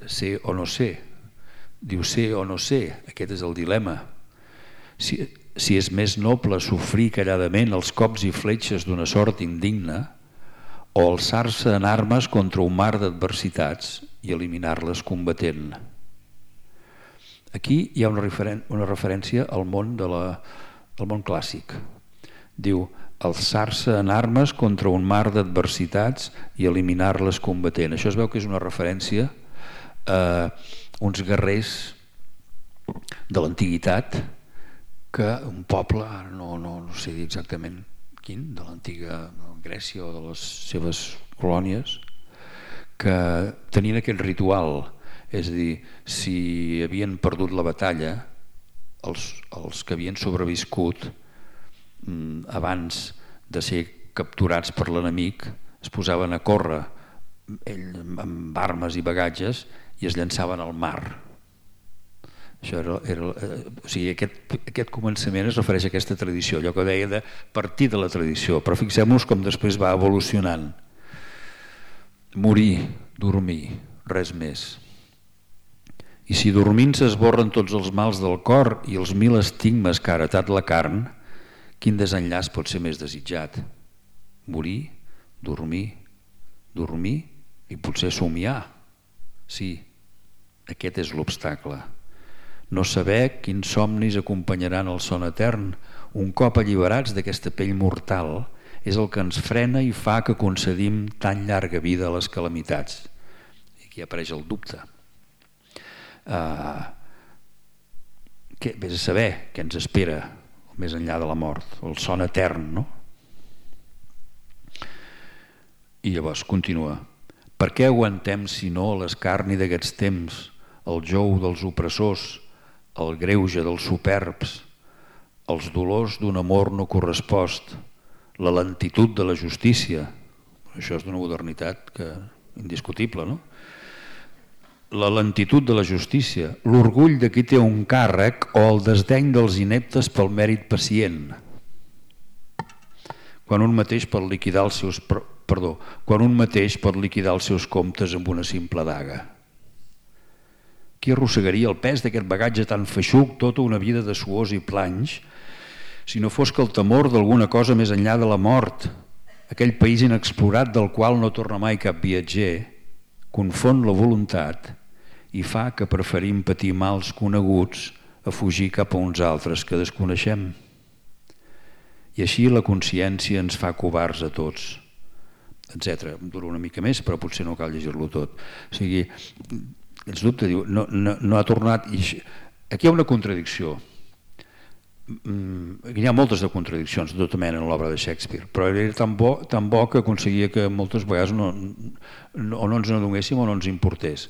ser o no ser. Diu ser o no ser, aquest és el dilema. Si, si és més noble sofrir calladament els cops i fletxes d'una sort indigna o alçar-se en armes contra un mar d'adversitats i eliminar-les combatent. Aquí hi ha una, referen una referència al món, de la, al món clàssic. Diu, alçar-se en armes contra un mar d'adversitats i eliminar-les combatent. Això es veu que és una referència a uns guerrers de l'antiguitat que un poble, no, no, no sé exactament quin, de l'antiga Grècia o de les seves colònies, que tenien aquest ritual, és a dir, si havien perdut la batalla, els, els que havien sobreviscut abans de ser capturats per l'enemic es posaven a córrer ell, amb armes i bagatges i es llançaven al mar. Això era, era, o sigui, aquest, aquest començament es refereix a aquesta tradició, allò que deia de partir de la tradició, però fixem-nos com després va evolucionant. Morir, dormir, res més. I si dormint s'esborren tots els mals del cor i els mil estigmes que ha heretat la carn, quin desenllaç pot ser més desitjat? Morir, dormir, dormir i potser somiar. Sí, aquest és l'obstacle. No saber quins somnis acompanyaran el son etern, un cop alliberats d'aquesta pell mortal, és el que ens frena i fa que concedim tan llarga vida a les calamitats. I aquí apareix el dubte. Uh, que, vés a saber què ens espera més enllà de la mort, el son etern, no? I llavors continua. Per què aguantem, si no, l'escarni d'aquests temps, el jou dels opressors, el greuge dels superbs, els dolors d'un amor no correspost, la lentitud de la justícia? Això és d'una modernitat que, indiscutible, no? La lentitud de la justícia, l'orgull de qui té un càrrec o el desdeny dels ineptes pel mèrit pacient. Quan un mateix pot liquidar els seus, perdó, quan un mateix pot liquidar els seus comptes amb una simple daga. Qui arrossegaria el pes d'aquest bagatge tan feixuc tota una vida de suors i planys, si no fos que el temor d'alguna cosa més enllà de la mort, aquell país inexplorat del qual no torna mai cap viatger, confon la voluntat i fa que preferim patir mals coneguts a fugir cap a uns altres que desconeixem. I així la consciència ens fa covards a tots, etcètera. Dura una mica més, però potser no cal llegir-lo tot. O sigui, ens dubte, diu, no, no, no ha tornat... Aquí hi ha una contradicció. Hi ha moltes de contradiccions de tota mena en l'obra de Shakespeare, però era tan bo, tan bo que aconseguia que moltes vegades no, no, o no ens n'adonéssim o no ens importés.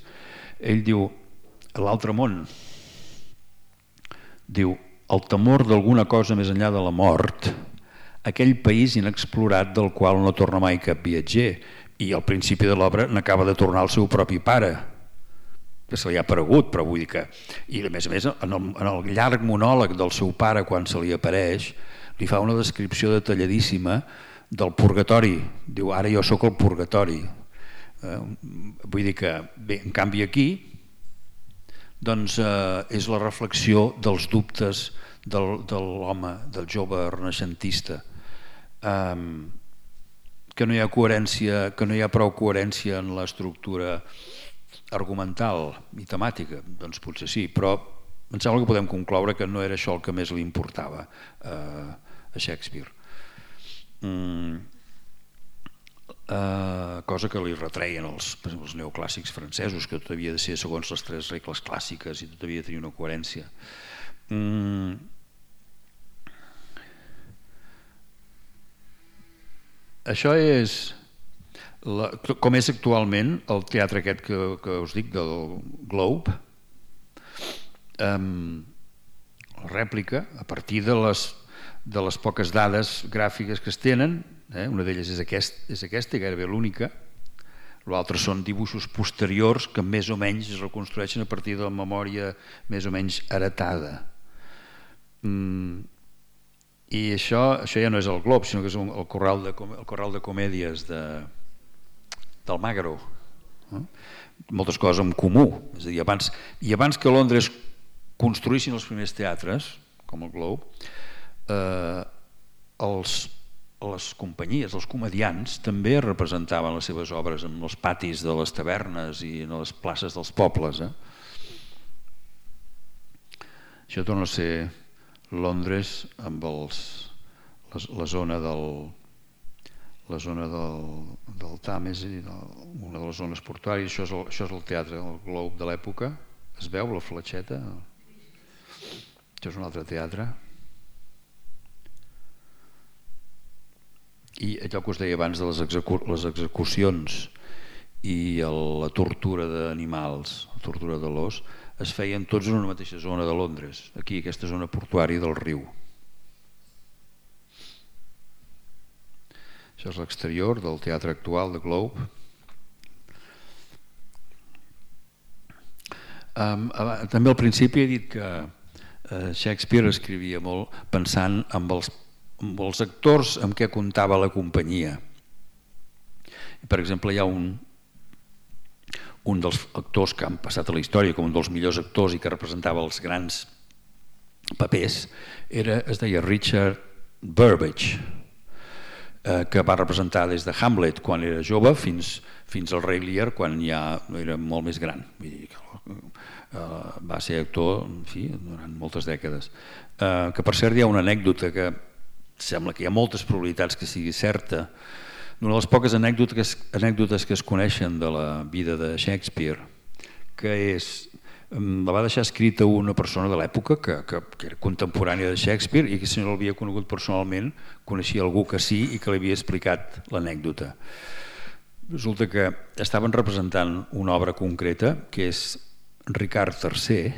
Ell diu, l'altre món, diu, el temor d'alguna cosa més enllà de la mort, aquell país inexplorat del qual no torna mai cap viatger, i al principi de l'obra n'acaba de tornar el seu propi pare, que se li ha aparegut, però vull dir que... I a més a més, en el, en el llarg monòleg del seu pare, quan se li apareix, li fa una descripció detalladíssima del purgatori. Diu, ara jo sóc el purgatori. Eh, vull dir que, bé, en canvi aquí, doncs eh, és la reflexió dels dubtes del, de l'home, del jove renaixentista. Eh, que no hi ha coherència, que no hi ha prou coherència en l'estructura argumental i temàtica, doncs potser sí, però em sembla que podem concloure que no era això el que més li importava eh, a Shakespeare. Mm, eh, cosa que li retreien els, els neoclàssics francesos, que tot havia de ser segons les tres regles clàssiques i tot havia de tenir una coherència. Mm, això és... La, com és actualment el teatre aquest que, que us dic del Globe, um, la rèplica a partir de les, de les poques dades gràfiques que es tenen, eh, una d'elles és, aquest, és aquesta, gairebé l'única, l'altre són dibuixos posteriors que més o menys es reconstrueixen a partir de la memòria més o menys heretada. Mm, i això, això ja no és el Globe, sinó que és el corral de, el corral de comèdies de d'Almagro. Moltes coses en comú. És a dir, abans, I abans que Londres construïssin els primers teatres, com el Globe, eh, els, les companyies, els comediants, també representaven les seves obres en els patis de les tavernes i en les places dels pobles. Eh? Això torna a ser Londres amb els, les, la zona del la zona del, del Thames i de, una de les zones portuàries. Això és, el, això és el teatre, el Globe de l'època. Es veu la fletxeta? Això és un altre teatre. I allò que us deia abans de les, execu les execucions i el, la tortura d'animals, la tortura de l'os, es feien tots en una mateixa zona de Londres, aquí, aquesta zona portuària del riu. Això és l'exterior del teatre actual de Globe. Um, també al principi he dit que uh, Shakespeare escrivia molt pensant en els, en els actors amb què comptava la companyia. Per exemple, hi ha un, un dels actors que han passat a la història com un dels millors actors i que representava els grans papers, era, es deia Richard Burbage, que va representar des de Hamlet quan era jove fins, fins al Rei Lear quan ja era molt més gran. Vull dir, uh, va ser actor en fi, durant moltes dècades. Uh, que per cert hi ha una anècdota que sembla que hi ha moltes probabilitats que sigui certa. Una de les poques anècdotes, anècdotes que es coneixen de la vida de Shakespeare, que és, la va deixar escrita una persona de l'època que, que, que era contemporània de Shakespeare i que si no l'havia conegut personalment coneixia algú que sí i que li havia explicat l'anècdota. Resulta que estaven representant una obra concreta que és Ricard tercer,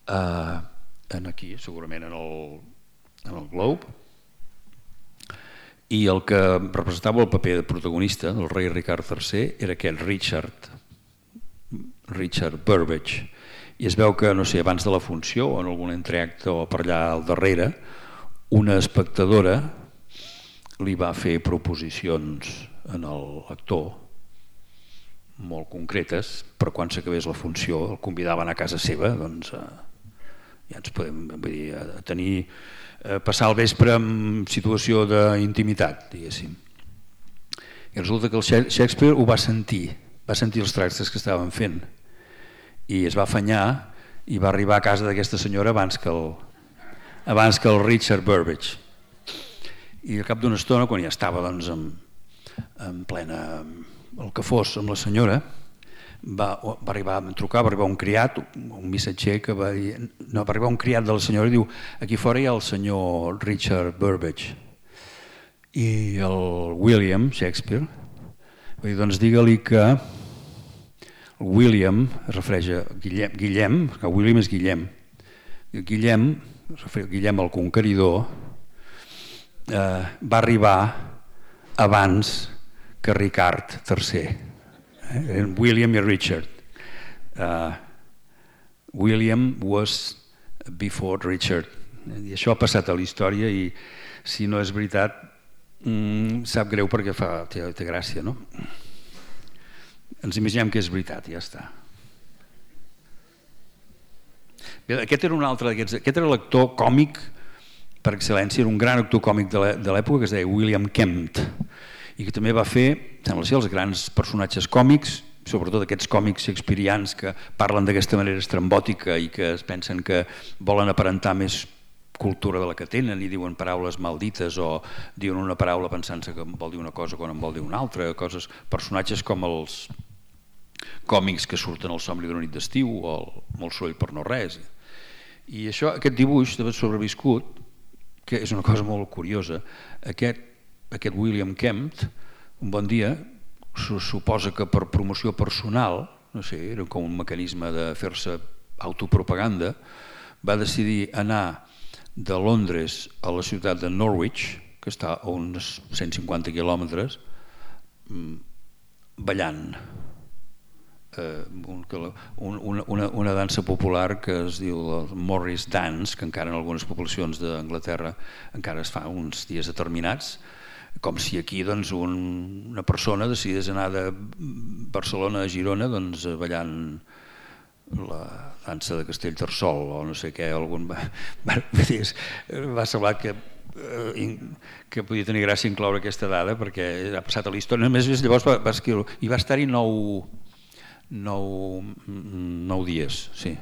eh, en aquí segurament en el, en el Globe, i el que representava el paper de protagonista del rei Ricard tercer era aquest Richard Richard Burbage, i es veu que, no sé, abans de la funció o en algun entreacte o per allà al darrere, una espectadora li va fer proposicions en l'actor molt concretes, però quan s'acabés la funció el convidaven a casa seva, doncs eh, ja ens podem vull dir, a tenir, eh, passar el vespre en situació d'intimitat, diguéssim. I resulta que el Shakespeare ho va sentir, va sentir els tractes que estaven fent i es va afanyar i va arribar a casa d'aquesta senyora abans que el, abans que el Richard Burbage. I al cap d'una estona, quan ja estava doncs, en, en plena el que fos amb la senyora, va, va arribar a trucar, va arribar un criat, un missatger que va dir, no, va arribar un criat de la senyora i diu, aquí fora hi ha el senyor Richard Burbage. I el William Shakespeare va dir, doncs digue-li que William, es refereix a Guillem, Guillem, que William és Guillem, Guillem, es refereix a Guillem el Conqueridor, eh, va arribar abans que Ricard tercer. Eh? William i Richard. Uh, William was before Richard. I això ha passat a la història i si no és veritat, mm, sap greu perquè fa, té, té gràcia, no? Ens imaginem que és veritat i ja està. Bé, aquest era un altre d'aquests, aquest era l'actor còmic per excel·lència, era un gran actor còmic de l'època que es deia William Kempt i que també va fer, sembla ser, els grans personatges còmics, sobretot aquests còmics shakespearians que parlen d'aquesta manera estrambòtica i que es pensen que volen aparentar més cultura de la que tenen i diuen paraules maldites o diuen una paraula pensant-se que vol dir una cosa quan en vol dir una altra, coses, personatges com els còmics que surten al Somni d'una nit d'estiu o el Molt soroll per no res. I això, aquest dibuix d'haver sobreviscut, que és una cosa molt curiosa, aquest, aquest William Kempt, un bon dia, suposa que per promoció personal, no sé, era com un mecanisme de fer-se autopropaganda, va decidir anar de Londres a la ciutat de Norwich, que està a uns cent cinquanta quilòmetres, ballant eh, un, una, una dansa popular que es diu el Morris Dance, que encara en algunes poblacions d'Anglaterra encara es fa uns dies determinats, Com si aquí doncs, un, una persona decidís anar de Barcelona a Girona doncs, ballant la dansa de Castellterçol o no sé què, algun... va, va semblar que, que podia tenir gràcia incloure aquesta dada perquè ha passat a la història. Només llavors va, va escriure i va estar-hi nou, nou, nou dies, sí.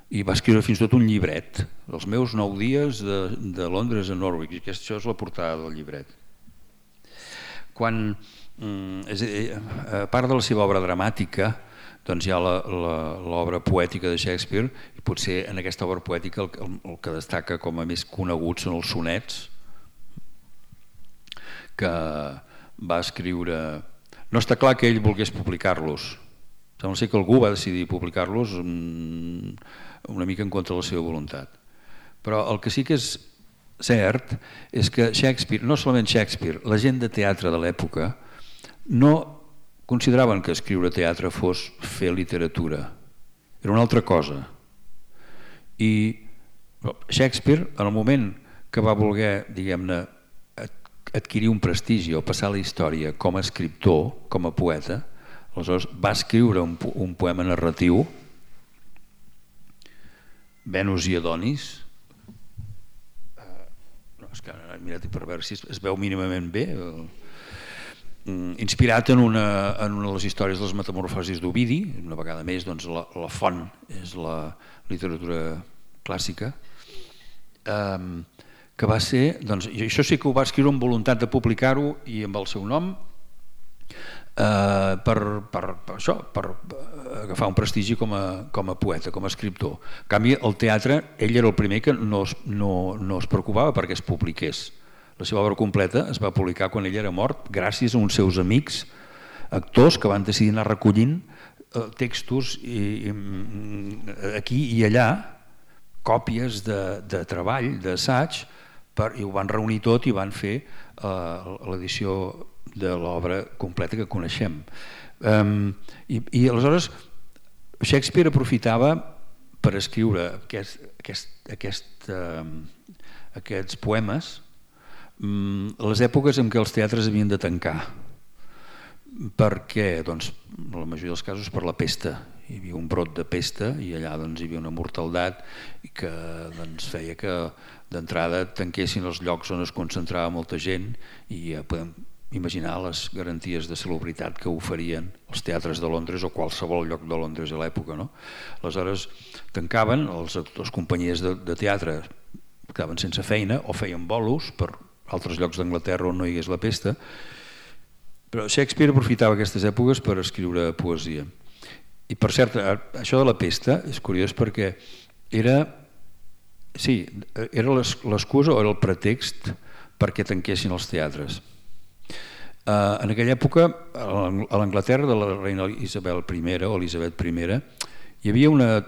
I va escriure fins i tot un llibret, els meus nou dies de, de Londres a Norwich, i això és la portada del llibret. Quan, és a, dir, a part de la seva obra dramàtica, doncs hi ha l'obra poètica de Shakespeare, i potser en aquesta obra poètica el, el, el que destaca com a més conegut són els sonets, que va escriure... No està clar que ell volgués publicar-los. Sembla ser que algú va decidir publicar-los una mica en contra de la seva voluntat. Però el que sí que és cert és que Shakespeare, no solament Shakespeare, la gent de teatre de l'època no consideraven que escriure teatre fos fer literatura. Era una altra cosa. I Shakespeare, en el moment que va voler, diguem-ne, adquirir un prestigi o passar la història com a escriptor, com a poeta, aleshores va escriure un, un poema narratiu, Venus i Adonis. No, és que he mirat per veure si es, es veu mínimament bé. Inspirat en una, en una de les històries de les metamorfosis d'Ovidi, una vegada més doncs, la, la font és la literatura clàssica, um, que va ser, doncs, i això sí que ho va escriure amb voluntat de publicar-ho i amb el seu nom, Uh, per, per, per això, per agafar un prestigi com a, com a poeta, com a escriptor. En canvi, el teatre, ell era el primer que no es, no, no es preocupava perquè es publiqués. La seva obra completa es va publicar quan ell era mort, gràcies a uns seus amics, actors, que van decidir anar recollint uh, textos i, i, aquí i allà, còpies de, de treball, d'assaig, i ho van reunir tot i van fer uh, l'edició de l'obra completa que coneixem. Um, i, I aleshores Shakespeare aprofitava per escriure aquest, aquest, aquest, um, aquests poemes um, les èpoques en què els teatres havien de tancar. Per què? Doncs, en la majoria dels casos per la pesta. Hi havia un brot de pesta i allà doncs, hi havia una mortaldat que doncs, feia que d'entrada tanquessin els llocs on es concentrava molta gent i ja podem imaginar les garanties de salubritat que oferien els teatres de Londres o qualsevol lloc de Londres a l'època. No? Aleshores tancaven, els, les companyies de, de teatre quedaven sense feina o feien bolos per altres llocs d'Anglaterra on no hi hagués la pesta, però Shakespeare aprofitava aquestes èpoques per escriure poesia. I per cert, això de la pesta és curiós perquè era, sí, era l'excusa o era el pretext perquè tanquessin els teatres. Uh, en aquella època, a l'Anglaterra de la reina Isabel primera o Elisabet primera, hi havia una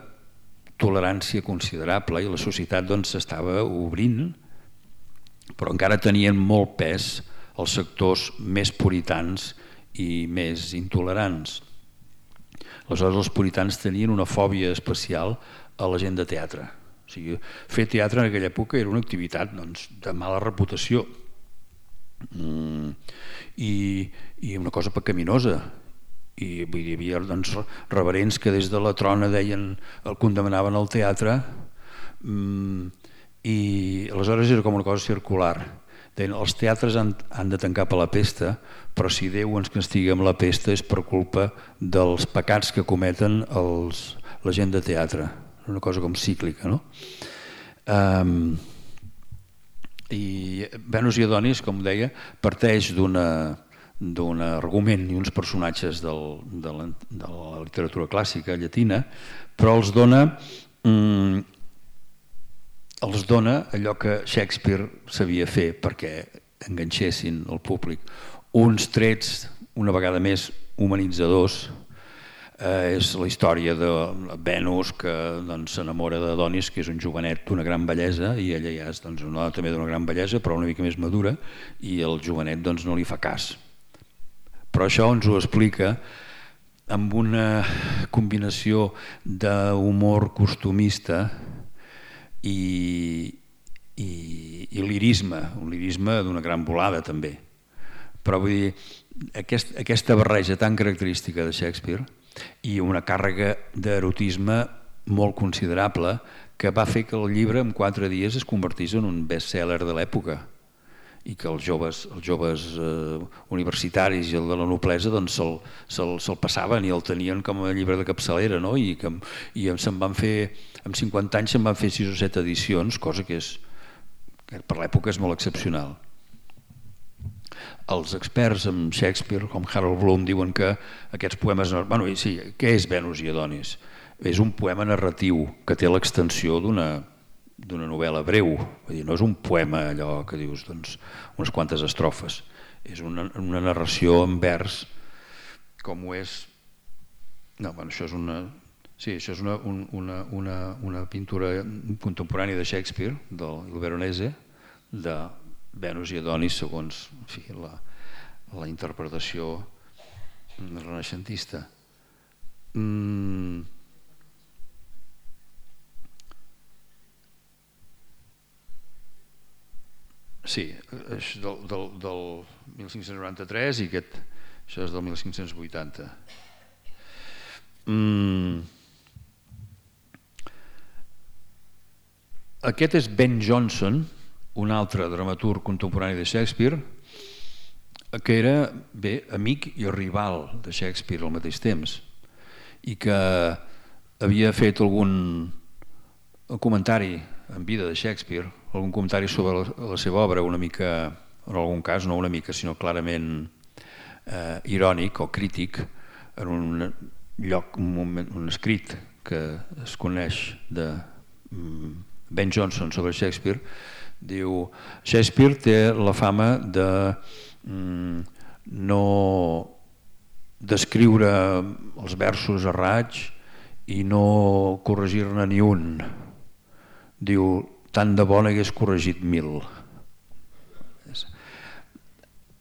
tolerància considerable i la societat doncs, s'estava obrint, però encara tenien molt pes els sectors més puritans i més intolerants. Aleshores, els puritans tenien una fòbia especial a la gent de teatre. O sigui, fer teatre en aquella època era una activitat doncs, de mala reputació. Mm, i, i una cosa pecaminosa i vull dir, hi havia doncs, reverents que des de la trona deien, el condemnaven al teatre mm, i aleshores era com una cosa circular. Deien, els teatres han, han de tancar per la pesta, però si Déu ens castiga amb la pesta és per culpa dels pecats que cometen els, la gent de teatre. Una cosa com cíclica, no? Um, I Venus i Adonis, com deia, parteix d'un argument i uns personatges del, de, la, de la literatura clàssica llatina, però els dona, mm, els dona allò que Shakespeare sabia fer perquè enganxessin el públic. Uns trets, una vegada més, humanitzadors. Eh, és la història de Venus que doncs, s'enamora d'Adonis, que és un jovenet d'una gran bellesa, i ella ja és doncs, una dona també d'una gran bellesa, però una mica més madura, i el jovenet doncs, no li fa cas. Però això ens ho explica amb una combinació d'humor costumista i, i, i lirisme, un lirisme d'una gran volada també. però vull dir, aquest, aquesta barreja tan característica de Shakespeare i una càrrega d'erotisme molt considerable que va fer que el llibre en quatre dies es convertís en un best-seller de l'època i que els joves, els joves eh, universitaris i el de la noblesa doncs se'l se se passaven i el tenien com a llibre de capçalera, no? I, que, i se'n van fer, en cinquanta anys se'n van fer sis o set edicions, cosa que, és, que per l'època és molt excepcional. Els experts en Shakespeare, com Harold Bloom, diuen que aquests poemes... Bueno, sí, què és Venus i Adonis? És un poema narratiu que té l'extensió d'una d'una novel·la breu, vull dir, no és un poema allò que dius, doncs, unes quantes estrofes, és una, una narració en vers, com ho és... No, bueno, això és una... Sí, això és una, una, una, una pintura contemporània de Shakespeare, del Veronese, de Venus i Adonis, segons en fi, la, la interpretació renaixentista. Mm... Sí, és del, del, del mil cinc-cents noranta-tres i aquest, això és del mil cinc-cents vuitanta. Mm. Aquest és Ben Jonson, un altre dramaturg contemporani de Shakespeare, que era bé amic i rival de Shakespeare al mateix temps i que havia fet algun comentari en vida de Shakespeare, algun comentari sobre la, la seva obra, una mica, en algun cas no una mica, sinó clarament eh, irònic o crític, en un lloc, un, moment, un escrit que es coneix de Ben Jonson sobre Shakespeare, diu: Shakespeare té la fama de mm, no d'escriure els versos a raig i no corregir-ne ni un. Diu, tant de bo n'hagués corregit mil.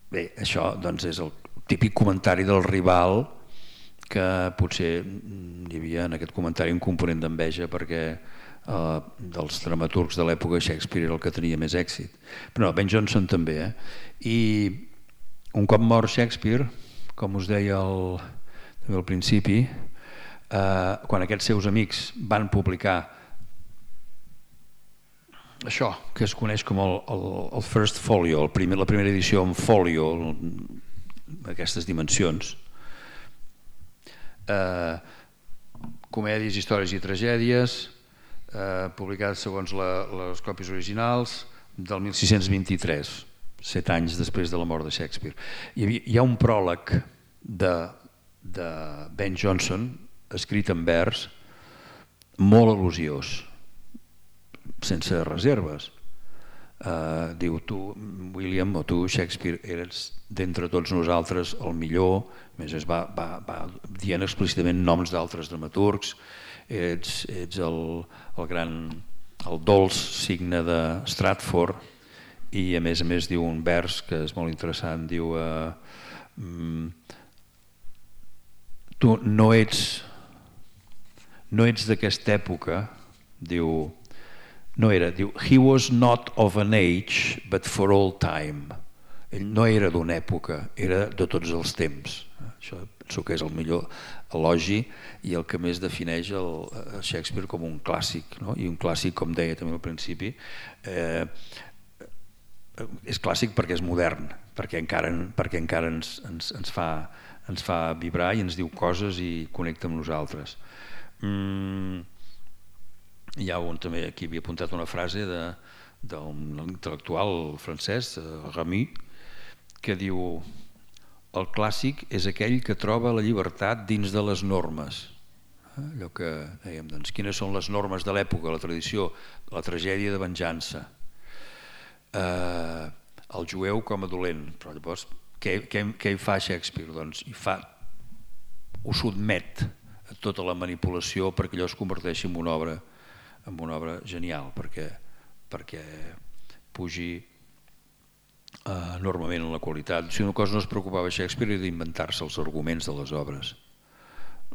Bé, això doncs, és el típic comentari del rival, que potser hi havia en aquest comentari un component d'enveja perquè eh, dels dramaturgs de l'època Shakespeare era el que tenia més èxit. Però no, Ben Jonson també. Eh? I un cop mort Shakespeare, com us deia al, també al principi, eh, quan aquests seus amics van publicar això, que es coneix com el, el, el First Folio, el primer, la primera edició en folio, aquestes dimensions, eh, comèdies, històries i tragèdies, eh, publicades segons la, les còpies originals, del mil sis-cents vint-i-tres, set anys després de la mort de Shakespeare. Hi, havia, hi ha un pròleg de, de Ben Jonson, escrit en vers, molt elogiós, sense reserves. Uh, diu, tu, William, o tu, Shakespeare, eres d'entre tots nosaltres el millor, a més es va, va, va dient explícitament noms d'altres dramaturgs, ets, ets el, el gran, el dolç signe de Stratford, i a més a més diu un vers que és molt interessant, diu uh, mm, tu no ets no ets d'aquesta època, diu no era, diu, he was not of an age but for all time. Ell no era d'una època, era de tots els temps. Això penso que és el millor elogi i el que més defineix el, el Shakespeare com un clàssic, no? I un clàssic, com deia també al principi, eh, és clàssic perquè és modern, perquè encara, perquè encara ens, ens, ens, fa, ens fa vibrar i ens diu coses i connecta amb nosaltres. Mm. Hi ha un, també aquí havia apuntat una frase de, d'un intel·lectual francès, Ramus, que diu: el clàssic és aquell que troba la llibertat dins de les normes. Allò que dèiem, doncs, quines són les normes de l'època, la tradició, la tragèdia de venjança, eh, el jueu com a dolent. Però llavors, què, què, què hi fa Shakespeare? Doncs hi fa, ho sotmet a tota la manipulació perquè allò es converteixi en una obra amb una obra genial, perquè, perquè pugi eh, enormement en la qualitat. Si una cosa no es preocupava Shakespeare era d'inventar-se els arguments de les obres.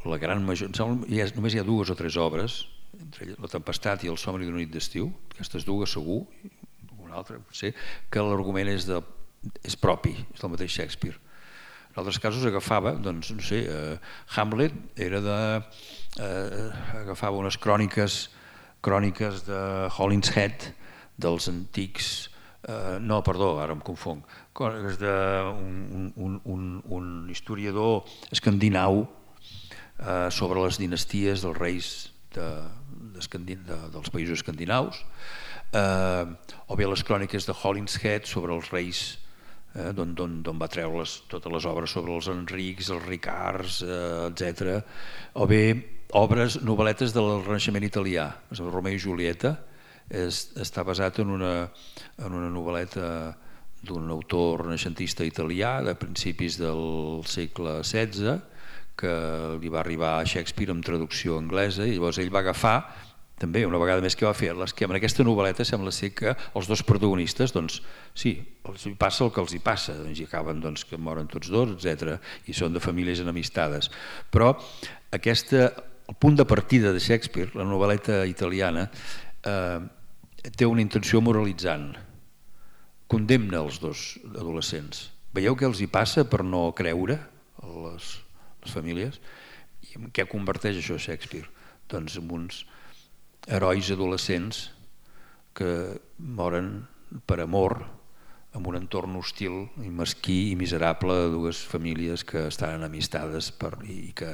La gran major, hi ha, només hi ha dues o tres obres, entre La tempestat i El somni d'una nit d'estiu, aquestes dues segur, una altra potser, que l'argument és de és propi, és del mateix Shakespeare. En altres casos agafava, doncs, no sé, eh, Hamlet era de... Eh, agafava unes cròniques cròniques de Holinshead, dels antics... Eh, no, perdó, ara em confong. Cròniques d'un un, un, un historiador escandinau eh, sobre les dinasties dels reis de, de, de, dels països escandinaus, eh, o bé les cròniques de Holinshead sobre els reis, eh, d'on va treure les, totes les obres sobre els Enrics, els Ricards, eh, etcètera, o bé obres, novel·letes del Renaixement italià. Romeo i Julieta és, està basat en una, en una novel·leta d'un autor renaixentista italià de principis del segle setze, que li va arribar a Shakespeare amb traducció anglesa, i llavors ell va agafar, també una vegada més que va fer, que en aquesta novel·leta sembla ser que els dos protagonistes, doncs sí, els hi passa el que els hi passa, doncs hi acaben doncs, que moren tots dos, etcètera, i són de famílies enemistades. Però aquesta, el punt de partida de Shakespeare, la novel·leta italiana, eh, té una intenció moralitzant, condemna els dos adolescents. Veieu què els hi passa per no creure a les, les famílies? I en què converteix això Shakespeare? Doncs en uns herois adolescents que moren per amor en un entorn hostil i mesquí i miserable de dues famílies que estan enemistades per, i, que,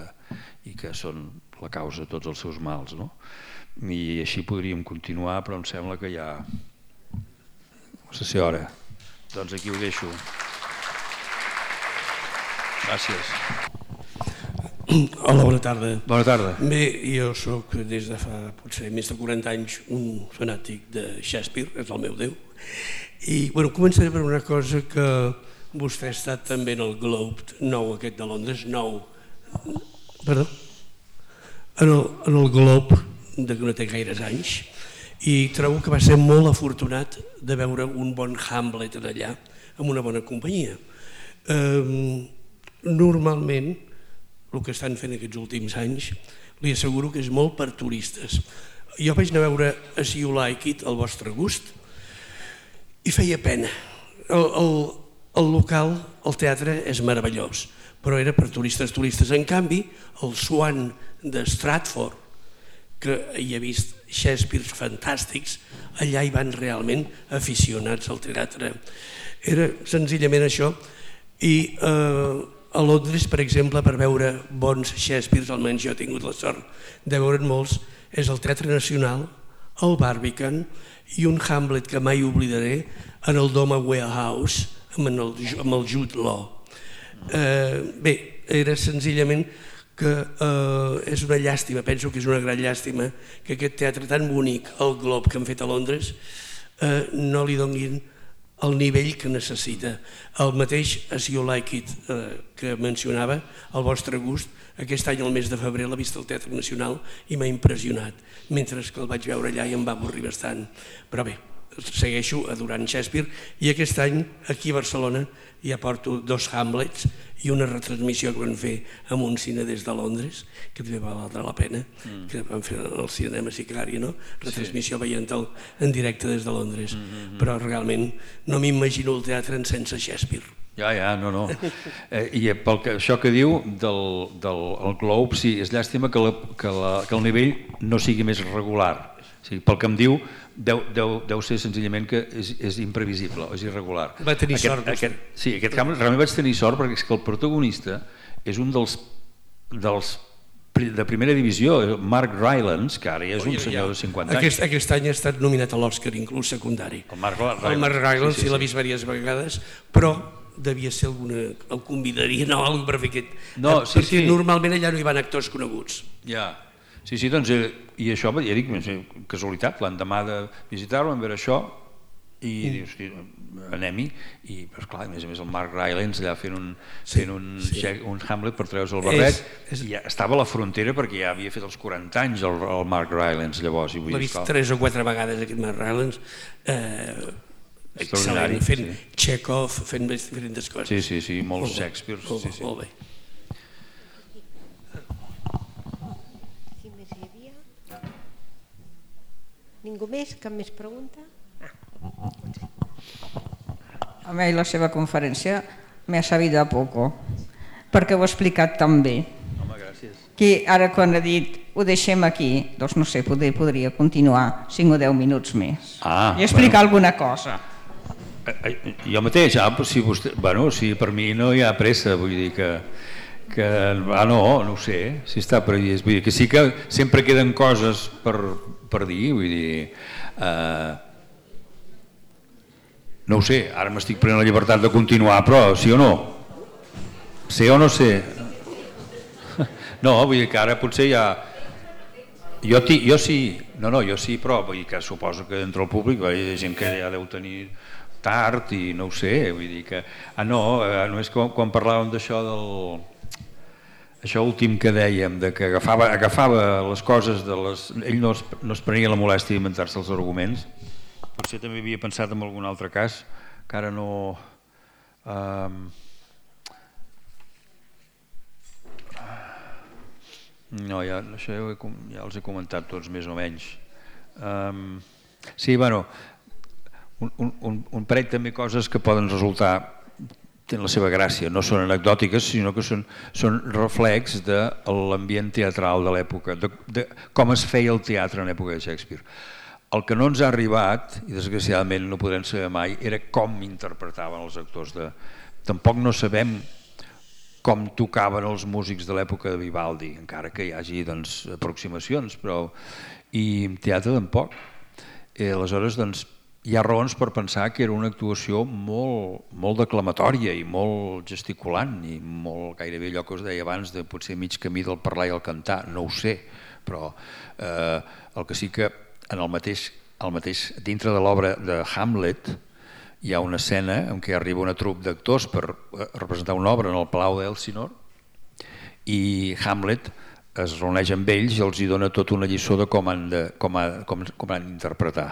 i que són la causa de tots els seus mals, no? I així podríem continuar, però em sembla que ja no sé si hora. Doncs aquí ho deixo. Gràcies. Hola, bona tarda. Bona tarda. Bé, jo soc des de fa potser més de quaranta anys un fanàtic de Shakespeare, és el meu déu. I bueno, començaré per una cosa que vostè ha estat també en el Globe nou aquest de Londres, nou, perdó, en el, en el Globe de que no té gaires anys, i trobo que va ser molt afortunat de veure un bon Hamlet allà amb una bona companyia. Eh, normalment el que estan fent aquests últims anys li asseguro que és molt per turistes. Jo vaig anar a veure As You Like It, al vostre gust, i feia pena. El, el, el local, el teatre és meravellós, però era per turistes turistes. En canvi, el Swan de Stratford, que hi ha vist Shakespeare fantàstics, allà hi van realment aficionats al teatre. Era senzillament això. I eh, a Londres, per exemple, per veure bons Shakespeares, almenys jo he tingut la sort de veure'n molts, és el Teatre Nacional, el Barbican i un Hamlet que mai oblidaré en el Doma Warehouse amb el, amb el Jude Law. Eh, bé, era senzillament que eh, és una llàstima, penso que és una gran llàstima que aquest teatre tan bonic, el Globe que han fet a Londres, eh, no li donin el nivell que necessita. El mateix As You Like It eh, que mencionava, al vostre gust, aquest any al mes de febrer l'ha vist al Teatre Nacional i m'ha impressionat, mentre que el vaig veure allà i em va avorrir bastant. Però bé, segueixo adorant Shakespeare i aquest any aquí a Barcelona ja porto dos Hamlets i una retransmissió que van fer en un cine des de Londres, que també va valdre la pena, mm. que van fer al cinema Sicari, no? Retransmissió sí. Veient-el en directe des de Londres. Mm -hmm. Però realment no m'imagino el teatre en sense Shakespeare. Ja, ja, no, no. Eh, I pel que, això que diu del, del el Globe, sí, és llàstima que, la, que, la, que el nivell no sigui més regular. O sigui, pel que em diu, deu, deu, deu ser senzillament que és, és imprevisible, és irregular. Va tenir aquest, sort. Aquest, sí, aquest Hamlet realment vaig tenir sort perquè és que el protagonista és un dels, dels de primera divisió, Mark Rylance, que ara ja és un senyor de cinquanta anys. Aquest, aquest any ha estat nominat a l'Oscar, inclús secundari. El Mark Rylance, el Mark Rylance sí, sí, sí. l'ha vist diverses vegades, però devia ser alguna... el convidarien o alguna per fer aquest... No, sí, perquè sí. normalment allà no hi van actors coneguts. Ja, sí, sí, doncs, i això, ja dic, casualitat, l'endemà de visitar-lo, vam veure això, i dius, anem-hi, i però clar, a més a més el Mark Rylance allà fent un, sí, fent un, sí. un Hamlet per treure's el barret, és, és... i ja estava a la frontera perquè ja havia fet els quaranta anys el, el Mark Rylance llavors. L'he vist tres o quatre vegades aquest Mark Rylance, eh, excel·lent, fent sí. Chekhov, fent diferents coses. Sí, sí, sí, molts Shakespeare. Molt, sí, sí. molt bé. Si més hi havia? Ningú més? Cap més pregunta? a mi la seva conferència m'ha sabido a poco, perquè ho ha explicat tan bé. Home, gràcies. Que ara quan ha dit ho deixem aquí, doncs no sé, poder, podria continuar cinc o deu minuts més ah, i explicar bueno. alguna cosa. Jo mateix, ah, si vostè, bueno, si per mi no hi ha pressa, vull dir que, que ah, no, no ho sé, si està previst, vull dir que sí que sempre queden coses per, per dir, vull dir, eh, no ho sé, ara m'estic prenent la llibertat de continuar, però sí o no? Sé o no sé? No, vull dir que ara potser ja... Jo, ti, jo sí, no, no, jo sí, però vull dir que suposo que entre el públic hi ha gent que ja deu tenir tard i no ho sé, vull dir que... Ah, no, només quan, quan parlàvem d'això del... Això últim que dèiem, de que agafava, agafava les coses de les... Ell no es, no es prenia la molèstia d'inventar-se els arguments. Potser també havia pensat en algun altre cas, que ara no... Um... No, ja, això ja, he, ja els he comentat tots més o menys. Um... Sí, bueno... Un, un, un parell també coses que poden resultar, tenen la seva gràcia, no són anecdòtiques, sinó que són, són reflex de l'ambient teatral de l'època, de, de com es feia el teatre en l'època de Shakespeare. El que no ens ha arribat, i desgraciadament no podrem saber mai, era com interpretaven els actors. De... Tampoc no sabem com tocaven els músics de l'època de Vivaldi, encara que hi hagi doncs, aproximacions, però... i en teatre tampoc. I aleshores, doncs, hi ha raons per pensar que era una actuació molt, molt declamatòria i molt gesticulant i molt gairebé allò que us deia abans de potser mig camí del parlar i el cantar, no ho sé, però eh, el que sí que en el mateix, el mateix dintre de l'obra de Hamlet hi ha una escena en què arriba una trup d'actors per representar una obra en el Palau d'Elsinore i Hamlet es reuneix amb ells i els hi dona tota una lliçó de com han de, com ha, com, com han d'interpretar.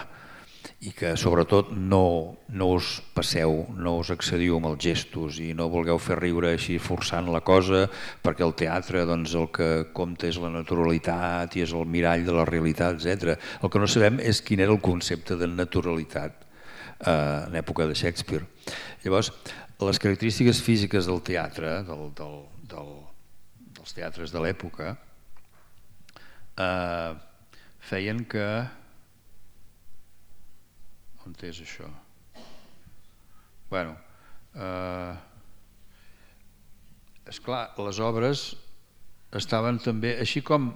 I que sobretot no, no us passeu, no us excediu amb els gestos i no vulgueu fer riure així forçant la cosa, perquè el teatre doncs, el que compta és la naturalitat i és el mirall de la realitat, etcètera. El que no sabem és quin era el concepte de naturalitat eh, en època de Shakespeare. Llavors, les característiques físiques del teatre, del, del, del, dels teatres de l'època, eh, feien que... On és això? Bueno, eh, esclar, les obres estaven també, així com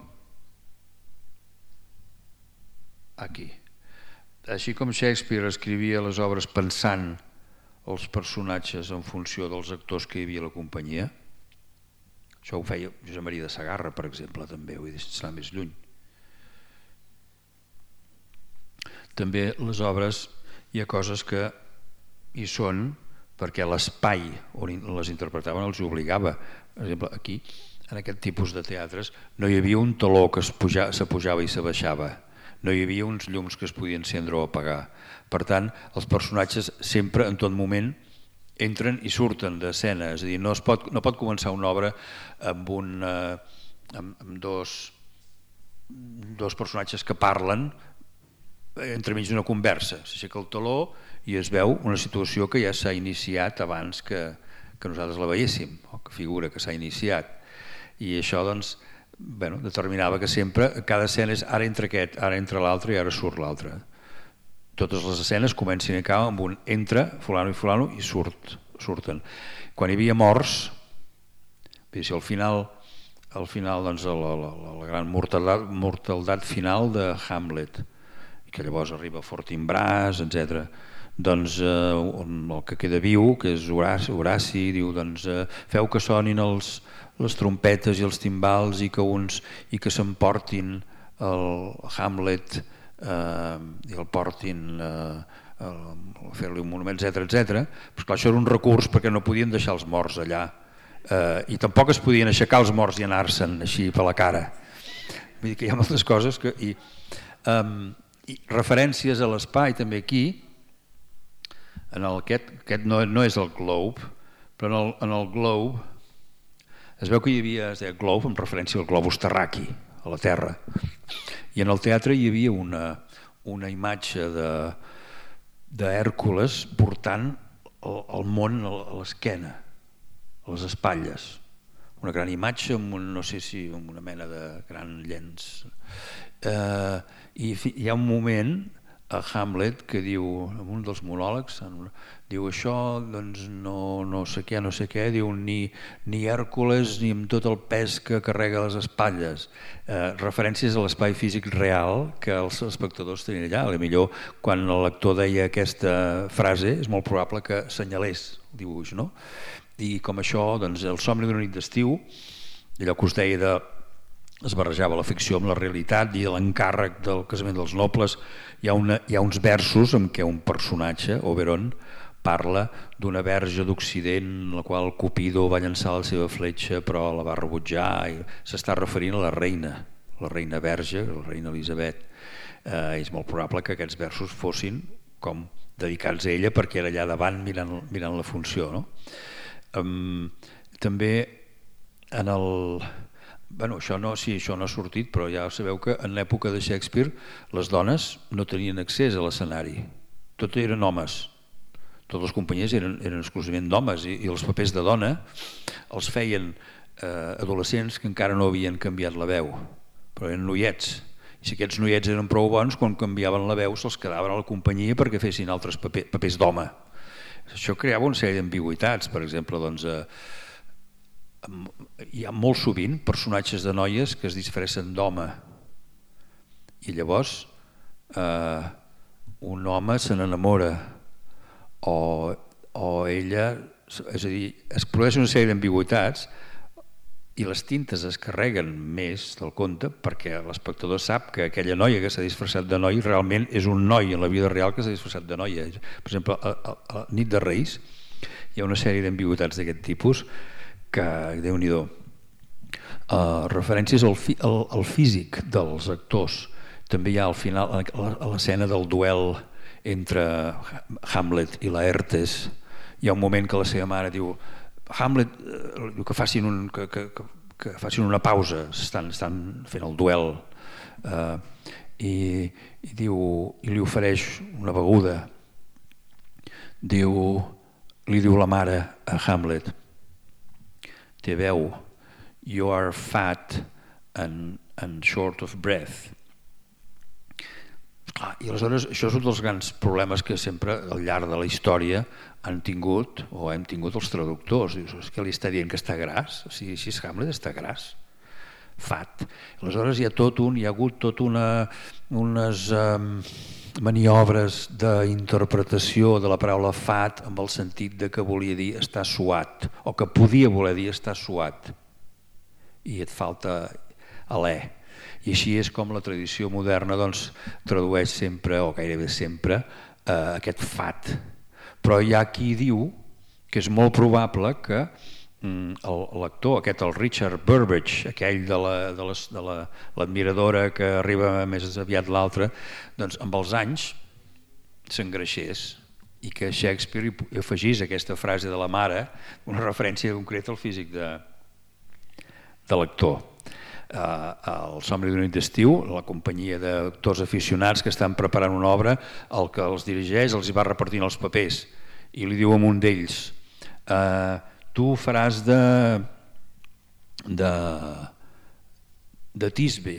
aquí, així com Shakespeare escrivia les obres pensant els personatges en funció dels actors que hi havia a la companyia, això ho feia Josep Maria de Sagarra, per exemple, també, vull dir, sense anar més lluny. També les obres hi ha coses que hi són perquè l'espai on les interpretaven els obligava. Per exemple, aquí, en aquest tipus de teatres, no hi havia un taló que s'apujava i s'abaixava. No hi havia uns llums que es podien encendre o apagar. Per tant, els personatges sempre, en tot moment, entren i surten d'escena. És a dir, no, es pot, no pot començar una obra amb, un, eh, amb, amb dos, dos personatges que parlen entremig d'una conversa, s'aixeca el taló i es veu una situació que ja s'ha iniciat abans que, que nosaltres la veiéssim, o que figura que s'ha iniciat. I això doncs, bueno, determinava que sempre cada escena és ara entra aquest, ara entra l'altre i ara surt l'altre. Totes les escenes comencen i acaben amb un entra, fulano i fulano, i surt, surten. Quan hi havia morts, si al final, al final doncs, la, la, la gran mortaldat, mortaldat final de Hamlet, que llavors arriba Fortinbras, etcètera. Doncs eh, el que queda viu, que és Horaci, Horaci diu, doncs, eh, feu que sonin els, les trompetes i els timbals i que uns i que s'emportin el Hamlet eh, i el portin eh, a fer-li un monument, etcètera, etcètera. Però clar, això era un recurs perquè no podien deixar els morts allà eh, i tampoc es podien aixecar els morts i anar-se'n així per la cara. Vull dir que hi ha moltes coses que... I, eh, I referències a l'espai també aquí, en el, aquest, aquest no, no és el Globe, però en el, en el Globe es veu que hi havia, es deia Globe amb referència al globus terraqui, a la Terra, i en el teatre hi havia una, una imatge d'Hèrcules portant el món a l'esquena, a les espatlles, una gran imatge amb un, no sé si amb una mena de gran llenç, eh, i hi ha un moment a Hamlet que diu, en un dels monòlegs, diu això, doncs no, no sé què, no sé què, diu ni, ni Hèrcules ni amb tot el pes que carrega les espatlles, eh, referències a l'espai físic real que els espectadors tenien allà. A millor quan el lector deia aquesta frase és molt probable que senyalés el dibuix, no? I com això, doncs, el somni d'una nit d'estiu, allò que us deia de es barrejava la ficció amb la realitat i l'encàrrec del casament dels nobles, hi ha, una, hi ha uns versos en què un personatge, Oberon, parla d'una verge d'Occident la qual Cupido va llançar la seva fletxa però la va rebutjar, i s'està referint a la reina, la reina verge, la reina Elisabet. Eh, és molt probable que aquests versos fossin com dedicats a ella perquè era allà davant mirant, mirant la funció, no? Um, també en el... Bueno, això no, sí, això no ha sortit, però ja sabeu que en l'època de Shakespeare les dones no tenien accés a l'escenari, tot eren homes, totes les companyies eren, eren exclusivament d'homes, i, i els papers de dona els feien eh, adolescents que encara no havien canviat la veu, però eren noiets, i si aquests noiets eren prou bons, quan canviaven la veu se'ls quedaven a la companyia perquè fessin altres paper, papers d'home. Això creava una sèrie d'ambigüitats, per exemple, doncs, eh, hi ha molt sovint personatges de noies que es disfressen d'home i llavors eh, un home se n'enamora o, o ella, és a dir, es produeix una sèrie d'ambigüitats i les tintes es carreguen més del compte perquè l'espectador sap que aquella noia que s'ha disfressat de noi realment és un noi en la vida real que s'ha disfressat de noia. Per exemple, a, a, a Nit de Reis hi ha una sèrie d'ambigüitats d'aquest tipus que, Déu-n'hi-do, uh, referències al, fi, al, al físic dels actors. També hi ha al final, a l'escena del duel entre Hamlet i Laertes, hi ha un moment que la seva mare diu Hamlet, uh, diu que facin, un, que, que, que, que facin una pausa, estan, estan fent el duel, uh, i, i, diu, i li ofereix una beguda. Diu, li diu la mare a Hamlet, té veu, you are fat and, and short of breath. Clar, i aleshores això és un dels grans problemes que sempre al llarg de la història han tingut o hem tingut els traductors. Dius, que li està dient que està gras? O sigui, si és Hamlet està gras, fat. Aleshores hi ha tot un, hi ha hagut tot una, unes um, maniobres d'interpretació de la paraula fat amb el sentit de que volia dir estar suat o que podia voler dir estar suat i et falta alè. I així és com la tradició moderna doncs, tradueix sempre o gairebé sempre eh, aquest fat. Però hi ha qui diu que és molt probable que l'actor, aquest el Richard Burbage, aquell de l'admiradora que arriba més aviat l'altre, doncs amb els anys s'engreixés i que Shakespeare hi afegís aquesta frase de la mare, una referència concreta al físic de, de l'actor. El somni d'una nit d'estiu, la companyia d'actors aficionats que estan preparant una obra, el que els dirigeix els hi va repartint els papers i li diu a un d'ells eh, tu faràs de, de, de Tisbe.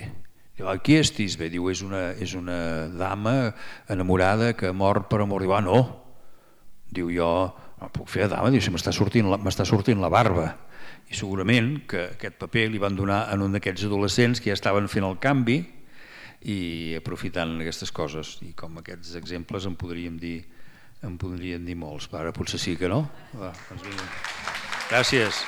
Qui és Tisbe? Diu, és una, és una dama enamorada que mor per amor. Diu, ah, no. Diu, jo no puc fer de dama, diu, si m'està sortint, m'està sortint la barba. I segurament que aquest paper li van donar en un d'aquests adolescents que ja estaven fent el canvi i aprofitant aquestes coses. I com aquests exemples en podríem dir, en podríem dir molts. Ara potser sí que no. Va, doncs vinga. Gràcies.